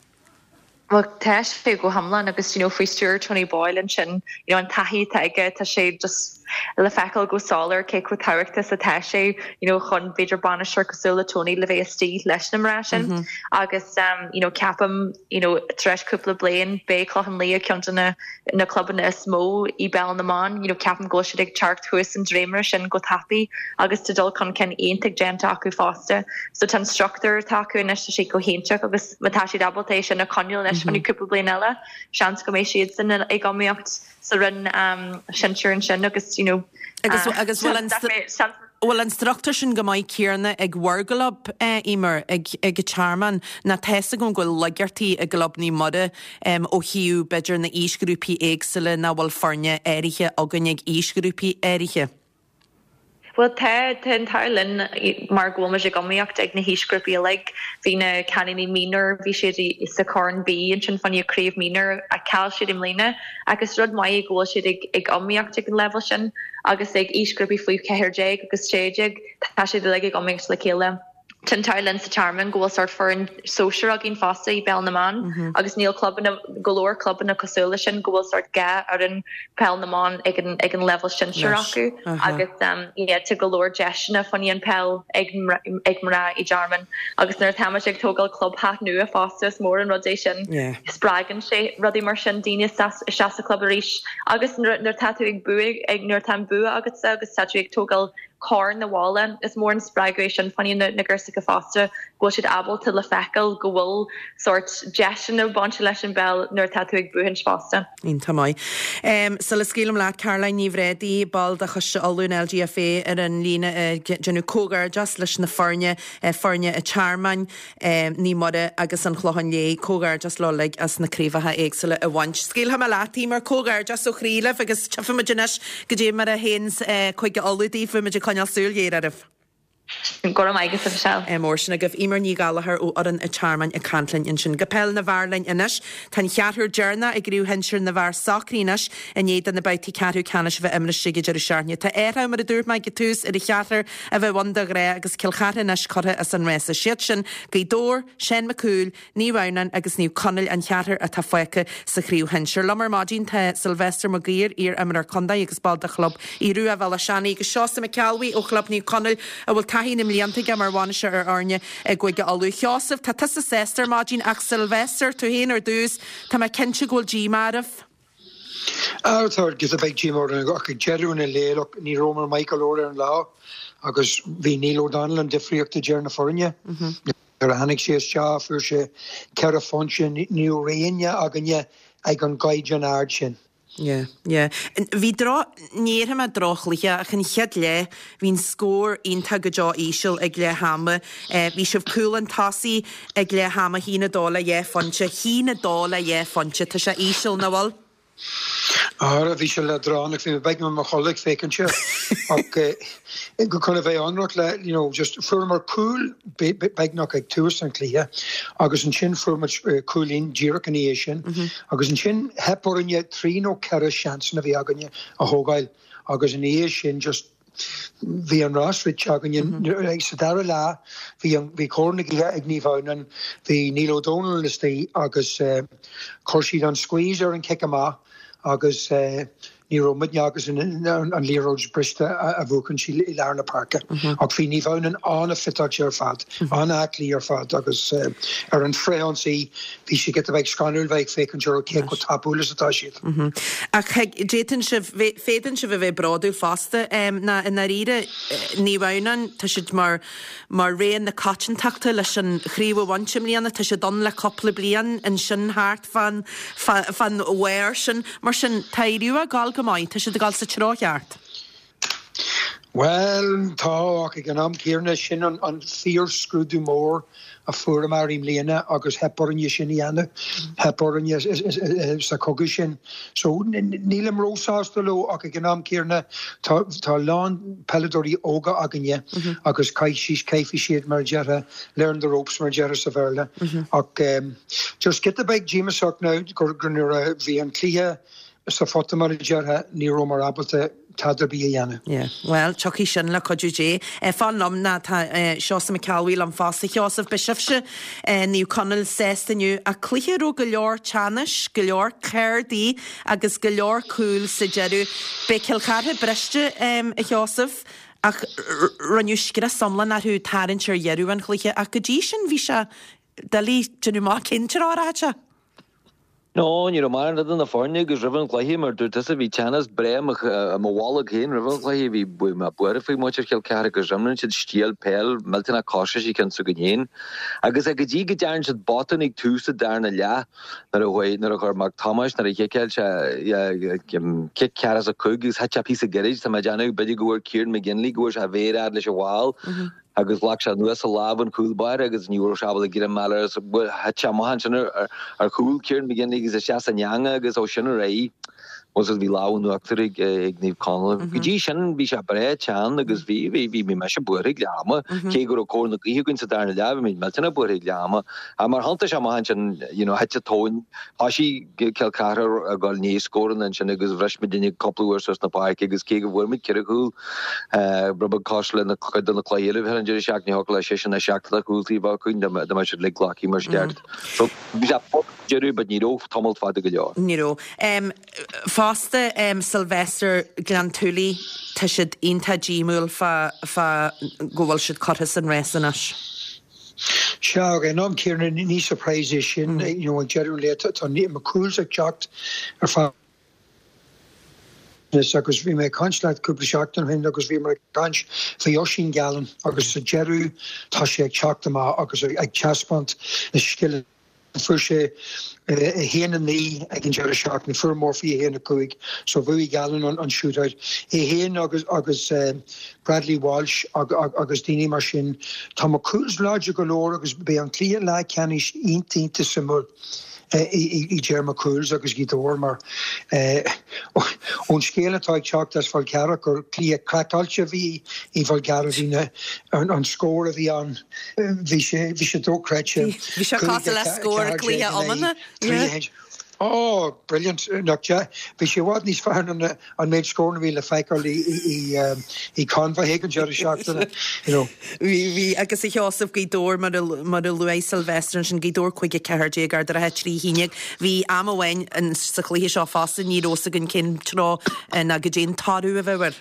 Bhuel, tá sé go hiomlán agus you know faoi stiúir Tony Boyle ansin, you know an taithí atá aige, tá sé just le feiceáil go soiléir cé chomh tábhachtach is atá sé, you know chun b'fhéidir bainisteoir cosúil le Tony le bheith istigh leis na mná sin. Agus you know ceapaim you know tar éis cúpla bliain beidh Clochán Liath ceann de na na clubanna is mó i bpeil na mban, you know ceapaim go bhfuil siad ag teacht thuas an dréimire sin go tapaidh agus tá dul chun cinn iontach déanta acu fosta. So tá an struchtúr atá acu anois, tá sé go hiontach agus má tá siad ábalta é sin a choinneáil anois fá choinne cúpla bliain eile, seans go mbeidh siadsan ag iomaíocht sa roinn sinsir ansin agus you know Agus agus bhfuil an bhfuil an struchtúr sin go maith céanna ag bhur gclub, Eimear, ag ag an Tearmann, nó tá's agam go bhfuil laigeachtaí i gclub Naomh Muire ó thaobh b'fhéidir na aoisghrúpaí éagsúla nach bhfuil foirne áirithe againn ag aoisghrúpaí áirithe. Bhuel tá, tá an t-ádh linn mar go bhfuil muid ag iomaíocht ag na haoisghrúpaí uilig. Bhí na cailíní mionúir, bhí siad sa Chorn B ansin fá choinne craobh mionúir ach chaill siad i mbliana ach is rud maith é go bhfuil siad ag ag iomaíocht ag an leibhéal sin agus ag aoisghrúpaí faoi 14 agus 16 tá siad uilig ag iomaíocht le chéile. Tá an t-ádh linn sa Tearmann go bhfuil sórt foireann sóisir againn fosta i bpeil na mban agus níl clubanna, go leor clubanna cosúil leis sin go bhfuil sórt dhá fhoireann peil na mban ag an ag an leibhéal sinsir acu agus yeah tá go leor deiseanna fá choinne an peil ag ag mná i dTearmann agus nuair atá muid ag tógáil clubtheach nua fosta is mór an rud é sin. Spreagann sé rudaí mar sin daoine isteach sa chlub arís agus nuair atá tú ag buaidh ag nuair atá an bua agatsa agus tá tú ag tógáil corn abhaile. Is mór an spreagadh é sin fá choinne na girseacha fosta, go bhfuil siad ábalta le feiceáil go bhfuil sórt deiseanna bainte leis an bpeil nuair atá tú ag buachaint fosta. Iontach maith. Sula scaoilim leat, Caroline Ní Bhréadaí, ball de Choiste Uladh an LGFA ar an líne ag déanamh comhghairdeas leis na foirne, foirne an Tearmainn, Naomh Muire agus an Chlocháin Léith, comhghairdeas leo uilig as na craobhacha éagsúla a bhaint. Scaoilfidh mé leat, Eimear, comhghairdeas ó chroí libh agus tchífidh muid anois goidé mar a théanns Cúige Uladh daoibh, beidh muid ag coinneáil súil ghéar oraibh. Go raibh maith agat, a Mhichelle. Mór sin agaibh. Eimear Ní Ghallchóir ó fhoireann an Tearmainn ag caint linn ansin. Go peil na bhfear linn anois. Tá an cheathrú deireanach i gcraobh shinsir na bhfear socraithe anois i ndiaidh do na babhtaí ceathrú ceannais a bheith imrithe ag an deireadh seachtaine. Tá athrá, mar a dúirt mé ag an tús, ar an cheathrar a bheadh ann de ghnáth agus Cill Chartha anois curtha as an rása. Siad sin Gaoth Dobhair, Seán Mac Cumhaill, Naomh Adhamhnáin agus Naomh Conaill an cheathrar atá fágtha sa chraobh shinsir. Liom ar maidin tá Sylvester Mac Uidhir, iar-imreoir contae agus ball de chlub Aodh Rua Bhéal Átha Seanaidh agus Seosamh Mac Ceallbhuí ó chlub Naomh Conaill a bhfuil taithí na mblianta aige mar bhainisteoir ar fhoirne i gCúige Uladh. Sheosamh, tá tusa sásta ar maidin ach Sylvester, tú féin ar dtús, tá mé cinnte go bhfuil díomá oraibh. Á, tá giota beag díomá orainn ach ag deireadh an lae, look, ní rabhamar maith go leor ar an lá agus bhí Neil O'Donnell an difríocht idir na foirne. Nuair a tháinig sé isteach fuair sé ceithre phointe, ní raibh éinne againne ag an gcaighdeán ard sin. Yeah, yeah. Bhí droch, ní déarfaidh mé droch-chluiche ach an chéad leath, bhí an scór iontach go deo íseal ag leath ama. Bhí sibh cúl an tosaigh ag leath ama, 1-2 le dhá phointe, 1-2 le dhá phointe, tá sé íseal, nach bhfuil? Ara, bhí sé leadránach, bhí mé beagnach i mo chodladh ag féachaint air ach go chun a bheith ionraic le, you know, just fuaireamar cúl beagnach ag tús an chluiche agus ansin fuair muid cúilín díreach ina dhiaidh sin agus ansin theip orainne trí nó ceithre seansanna a bhí againne a thógáil agus ina dhiaidh sin just Bhí an rás rite againne. Sa dara leath bhí an, bhí cóir na gaoithe ag Naomh Adhamhnáin, bhí Neil O'Donnell istigh agus chuir siad an squeeze ar an cic amach agus. Ní raibh muidne agus an liathróid briste a bhuachaint i lár na páirce. Ach bhí Naomh Adhamhnáin an-fhiteáilte ar fad, an-aclaí ar fad agus ar an frithionsaí bhí sé giota beag scanrúil bheith ag féachaint orthu cé chomh tapúil is atá siad. Ach d'fhéadfainn sibh, féadann sibh a bheith bródúil fosta ná i ndáiríre Naomh Adhamhnáin, tá siad mar Mar rogha na coitiantachta leis an chraobh a bhaint i mbliana, tá siad ann le cúpla bliain ansin thart fán fán bharr sin. Mar sin, tá Aodh Rua ag gabháil go maith, tá siad ag gabháil sa treo cheart. Bhuel, tá, ach ag an am céanna, sin an an fíor-scrúdú mór a fuaireamar i mbliana agus theip orainne sin a dhéanamh. Theip orainne sa chogadh sin. So, nílim róshásta leo ach ag an am céanna tá tá a lán peileadóirí óga againne agus caithfidh caithfidh siad mar a déarfá learn the ropes mar a déarfá sa Bhéarla. Ach just giota beag díomasach now gur gur nuair a bhí an cluiche sa phota mar a déarfá ní rabhamar ábalta tada ar bith a dhéanamh. Yeah. Bhuel, tiocfaidh sin le cuidiú Dé. Fan liom ná tá Seosamh Mac Ceallbhuí liom fosta. Sheosamh, beidh sibhse, Naomh Conaill, sásta inniu ach cluiche a raibh go leor teannais, go leor cárdaí agus go leor cúil sa deireadh. Beidh Cill Chartha briste, a Sheosaimh, ach rinneadh scrios iomlán orthu tarraingt ar dheireadh an chluiche ach go dtí sin bhí sé doiligh déanamh amach cén treo a rachadh sé. No, ní raibh mórán idir na foirne agus roimh an chluiche, mar dúirt tusa, bhí teannas breá i mo bholg féin roimh an chluiche, bhí mé buartha faoi mhuintir Chill Chartha agus imríonn siad stíl peil millteanach cosúil leis an cheann s'againn féin. Agus go dtí go dtearn siad botún ag tús an darna leath nuair a chuaigh, nuair a chuir Mac Thomáis, nuair a chiceáil sé cic 45 agus thit sé píosa gairid, tá mé ag déanamh, b'fhéidir go bhfuair Kieran McGinley, go bhfuair sé a mhéar fhad leis an bhall. agus ghlac sé anuas a lámh an chúl báire agus ní raibh sé ábalta greim a fháil air agus thit sé amach ansin ar chúl Kieran McGinley agus isteach san eangach agus ó sin ar aghaidh bhuel bhí lámh in uachtar ag Naomh Conaill. Go dtí sin bhí sé breá teann agus bhí bhí bhí bhí mise buartha ag leath ama cé go raibh cóir na gaoithe againn sa darna leath bhí muid millteanach buartha ag leath ama ach mar thiontaigh sé amach ansin you know thit an tóin thosaigh Cill Chartha ag dul i ndiaidh scóranna ansin agus bhris muidinne cúpla uair suas na páirce agus cé go bhfuair muid ceithre chúl Rud beag cosúil le cuid de na cluichí eile a bhí an deireadh seachtaine, thiocfadh le sise na seachtaine chúltaí a bheith againn dá mbeadh siad uilig glactha mar is ceart. So bhí sé fada deireadh but ní raibh tamalt fada go leor. Ní raibh. Fosta Sylvester Gleann tSúilí, tá siad iontach díomúil fá fá go bhfuil siad curtha as an rás anois. Sea, ag an am céanna ní surprise é sin, you know ag deireadh an lae tá McCool's ag teacht ar feadh Agus bhí mé ag caint leat cúpla seachtain ó shin agus bhíomar ag caint faoi Oisín Gallen agus sa deireadh tá sé ag teacht amach agus ag taispeáint na scileanna. Fuair sé 1-9 ag an deireadh seachtaine, fuair Murphy 1-5 so bhuaigh Gallen an shootout. É féin agus agus Bradley Walsh agus daoine mar sin. Tá McCool's láidir go leor agus beidh an cluiche leathcheannais iontach iontach suimiúil. idir McCool's agus Gaoth Dobhair mar ón scéal atá ag teacht as Fál Carrach gur cluiche craiceáilte a bhí i bhFál Carrach bhí na an scór a bhí ann bhí sé bhí sé dochreidte. Bhí sé cosúil le scór cluiche iomána. Oh brilliant nach ea? Bhí sé i bhfad níos fearr ná an méid scóranna a bhí le feiceáil i Conmhaigh ag an deireadh seachtaine, you know. Bhí, bhí, agus a Sheosaimh, Gaoth Dobhair, mar a, mar a luaigh Sylvester ansin, Gaoth Dobhair 5 14, Ard an Rátha 3 11. Bhí am amháin sa chluiche seo fosta, ní raibh fhios againn cén treo ná goidé an toradh a bheadh air.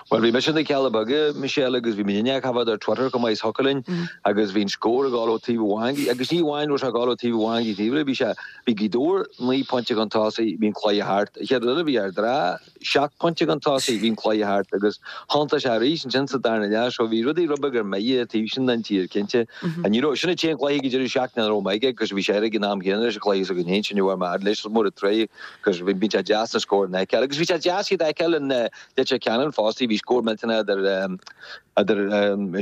Bhuel, bhí mise sna Cealla Beaga, Michelle, agus bhí muidinne á choimhéad ar Twitter chomh maith is thiocfadh linn, agus bhí an scór ag dul ó taobh amháin go, agus ní amháin raibh sé ag dul ó taobh amháin go taobh eile, bhí sé, bhí Gaoth Dobhair 9 pointe chun tosaigh, bhí an cluiche thart. An chéad rud eile, bhí Ard an Rátha 7 pointe chun tosaigh, bhí an cluiche thart, agus thiontaigh sé arís ansin sa darna leath, so bhí rudaí rud beag ar mire an taobh sin den tír, cinnte. And you know, sin an t-aon chluiche ag an deireadh seachtaine nach raibh mé aige, agus bhí sé ar ag an am chéanna leis an chluiche s'againn féin, sin a bhfuair mé fhad leis, is mór an trua. Agus bhí sé deas na scóranna a fheiceáil. Agus bhí sé deas iad a fheiceáil in Leitir Ceanainn fosta. Bhí scór millteanach idir idir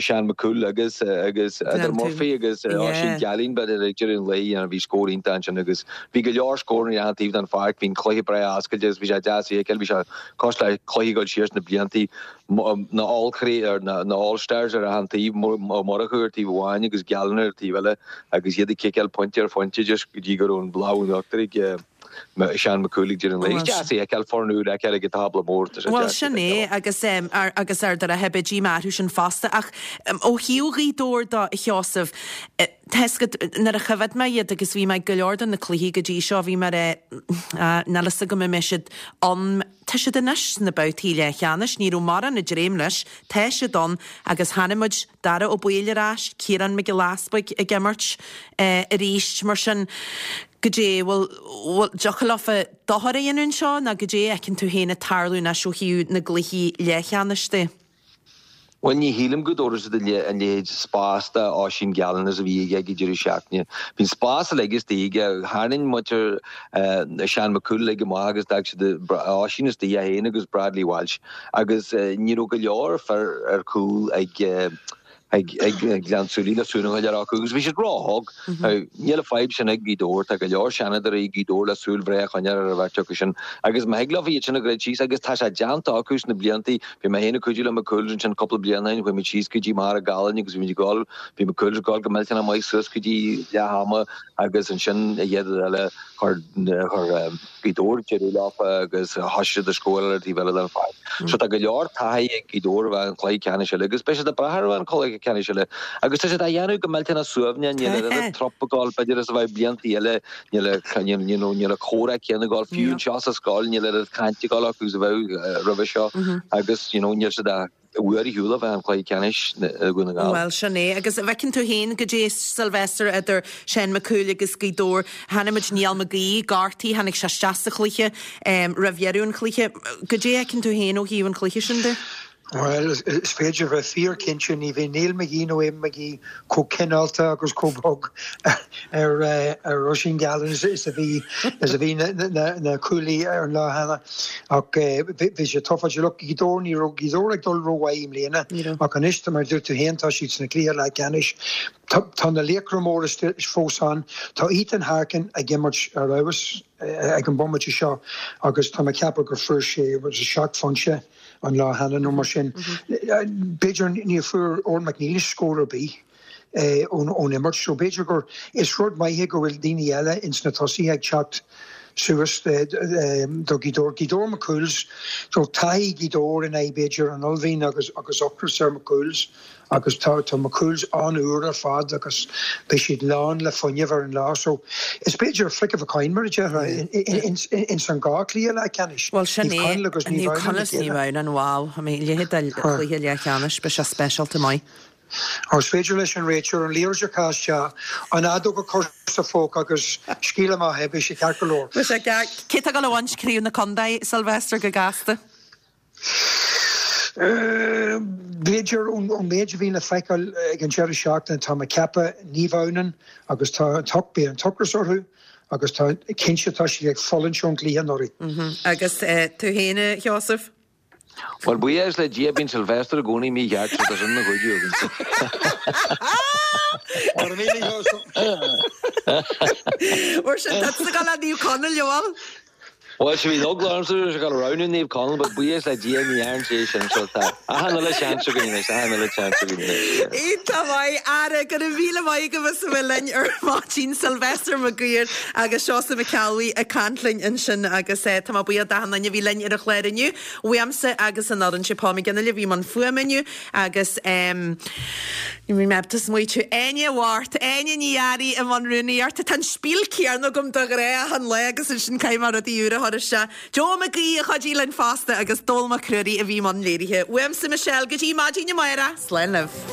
Seán McCool agus agus idir Murphy agus Oisín Gallen but ag deireadh an lae you know bhí scór iontach ansin agus bhí go leor scóranna ar achan taobh den pháirc. Bhí an cluiche breá oscailte agus bhí sé deas a fheiceáil. Bhí sé. Cosúil le cluichí ag dul siar sna bliantaí, na All or na All Stars ar achan taobh, Ó Murchú ar taobh amháin agus Gallen ar an taobh eile agus iad ag ciceáil pointe ar phointe just go dtí go raibh an lámh in uachtar ag Seán McCool ag deireadh an lae. Is deas é a fheiceáil, foireann úr a fheiceáil ag an tábla mór. Tá sé Bhuel, deas sin é agus agus ar deireadh beidh díomá orthu sin fosta ach ó thaobh Ghaoth Dobhair de, a Sheosaimh, tá 'fhios agat, nuair a choimhéad mé iad agus bhí mé ag go leor de na cluichí go dtí seo, bhí mé ag rá, níl 'fhios agam an mbeidh siad ann, Tá siad anois sna babhtaí leathcheannais, ní raibh mórán ag dréim leis, tá siad ann agus chonaic muid Dara Ó Baoill ar ais, Ciarán Mac Giolla Easpaig ag imirt arís, mar sin goidé, bhfuil, bhfuil, dtiocfadh leofa dochar a dhéanamh anseo nó goidé a fheiceann tú féin ag tarlú anois ó thaobh na gcluichí leathcheannais de? Bhuel, ní shílim go dtabharfaidh siad an leithéid spás do Oisín Gallen is a bhí aige ag an deireadh seachtaine. Bhí an spás uilig istigh aige. Tharraing muintir Seán McCool uilig amach agus d'fhág siad Oisín istigh, é féin agus Bradley Walsh. Agus ní raibh go leor fir ar chúl ag ag Gleann tSúilí le súil a choinneáil acu agus bhí siad róbhog. Níl an fadhb sin ag Gaoth Dobhair, tá go leor seanadóirí ag Gaoth Dobhair le súil bhreá a choinneáil ar an bheirt acu sin agus má thig leo iad sin a dhruid síos agus tá sé déanta acu sna blianta, bhí mé féin ag cuidiú le McCool's ansin cúpla bliain ó shin, chuaigh muid síos go dtí Machaire Gallen agus bhí muid ag dul, bhí McCool's ag dul go millteanach maith suas go dtí leath ama agus ansin an chéad rud eile chuir, chuir Gaoth Dobhair deireadh leofa agus thosaigh siad ag scóráil ar an taobh eile den pháirc. So tá go leor taithí ag Gaoth Dobhair a bheith an cluiche ceannais eile agus beidh siad ag brath ar a bheith an cluiche ceannais eile agus tá siad á dhéanamh go millteanach suaimhneach, níl an oiread trup ag dul b'fhéidir is a bheadh blianta eile, níl níl an comhrá céanna ag dul fiú anseo sa scoil níl oiread cainte ag dul acu is a bheadh roimhe seo agus you know níl siad i bhfad ar shiúl ó bheith an cluiche ceannais i Dhún na nGall. Bhuel, sin é. Agus an bhfeiceann tú féin goidé Sylvester idir Seán McCool agus Gaoth Dobhair. Chonaic muid Niall McGee gortaithe, tháinig sé isteach sa chluiche roimh dheireadh an chluiche. Goidé a fheiceann tú féin ó thaobh an chluiche sin de? Bhuel, is féidir a bheith fíor-chinnte, ní bheidh Niall McGee nó Eamon McGee chomh cineálta agus chomh bog ar Oisín Gallen is a bhí is a bhí na cúlaí ar an lá cheana. Ach bhí sé tufáilte. Look, Gaoth Dobhair, ní raibh Gaoth Dobhair ag dul rómhaith i mbliana ach anois, mar a dúirt tú féin, tá siad sna cluiche leathcheannais. Tá na laochra móra fós ann. Tá Ethan Harkin ag imirt ar fheabhas ag an bomaite seo agus tá mé ag ceapadh gur fuair sé 7 phointe an lá cheana nó mar sin. B'fhéidir ní fuair Odhrán Mac Niallais scór ar bith ón imirt so b'fhéidir gur is rud maith é go bhfuil daoine eile ins na tosaithe ag teacht suas do Ghaoth Dobhair. Gaoth Dobhair McCool's so taithí Ghaoth Dobhair in aghaidh b'fhéidir an uaillmhian agus agus ocras ar McCool's. Agus tá tá McCool's an-úr ar fad agus beidh siad lán le fuinneamh ar an lá so is b'fhéidir flick of a coin mar a déarfá ins an dhá chluiche leathcheannais. Bhuel sin Naomh é, Conaill agus Naomh Naomh Adhamhnáin Conaill le is Naomh chéile. Adhamhnáin, wow, I mean a leithéid de chluiche leathcheannais, beidh sé speisialta maith. Ó is féidir leis an réiteoir an liathróid a chaitheamh isteach, an fheadóg a chur sa phóca agus scaoil amach é, beidh sé ceart go leor. Beidh sé ceart. Cé tá ag dul a bhaint craobh na contae, Sylvester, go gasta? B'fhéidir, ón méid a bhí le feiceáil ag an deireadh seachtaine, tá mé ag ceapadh Naomh Adhamhnáin agus tá an beidh an t-ocras orthu agus tá cinnte tá siad ag fulaingt ón gcluiche anuraidh. Agus tú féin, a Sheosaimh? Bhuel, buíochas le Dia, bíonn Sylvester i gcónaí mícheart, so tá sin ina chuidiú agamsa. Go raibh míle, a Sheosaimh. Mar sin, tá tusa ag dul le Naomh Conaill, an bhfuil? Bhuel, sea, bhí eagla ormsa go raibh sé ag dul a roghnú Naomh Conaill, but buíochas le Dia ní dhearn sé sin, so tá achan uile seans againn anois, achan uile seans againn anois, yeah. Iontach maith, Ara, go raibh míle maith agaibh as a bheith linn ar maidin, Sylvester Mac Guidhir agus Seosamh Mac Ceallbhuí ag caint linn ansin agus tá mé buíoch d'achan duine a bhí linn ar an chlár inniu, uaimse agus an fhoireann, sé Paul McGinley a bhí i mbun fuaime inniu agus eh, ní raibh mé ábalta smaoitiú, Áine Mhart, Áine Ní Fhearraigh i mbun rúnaíochta, tá an spiel céanna agam de ghnáth achan lá agus ansin caithfidh mé rudaí úra a chur isteach. Joe Mac Aoidh a chuidigh linn fosta agus Dónal Mac Ruairí a bhí i mbun léirithe. Uaimse Michelle go dtí maidin amárach, slán libh.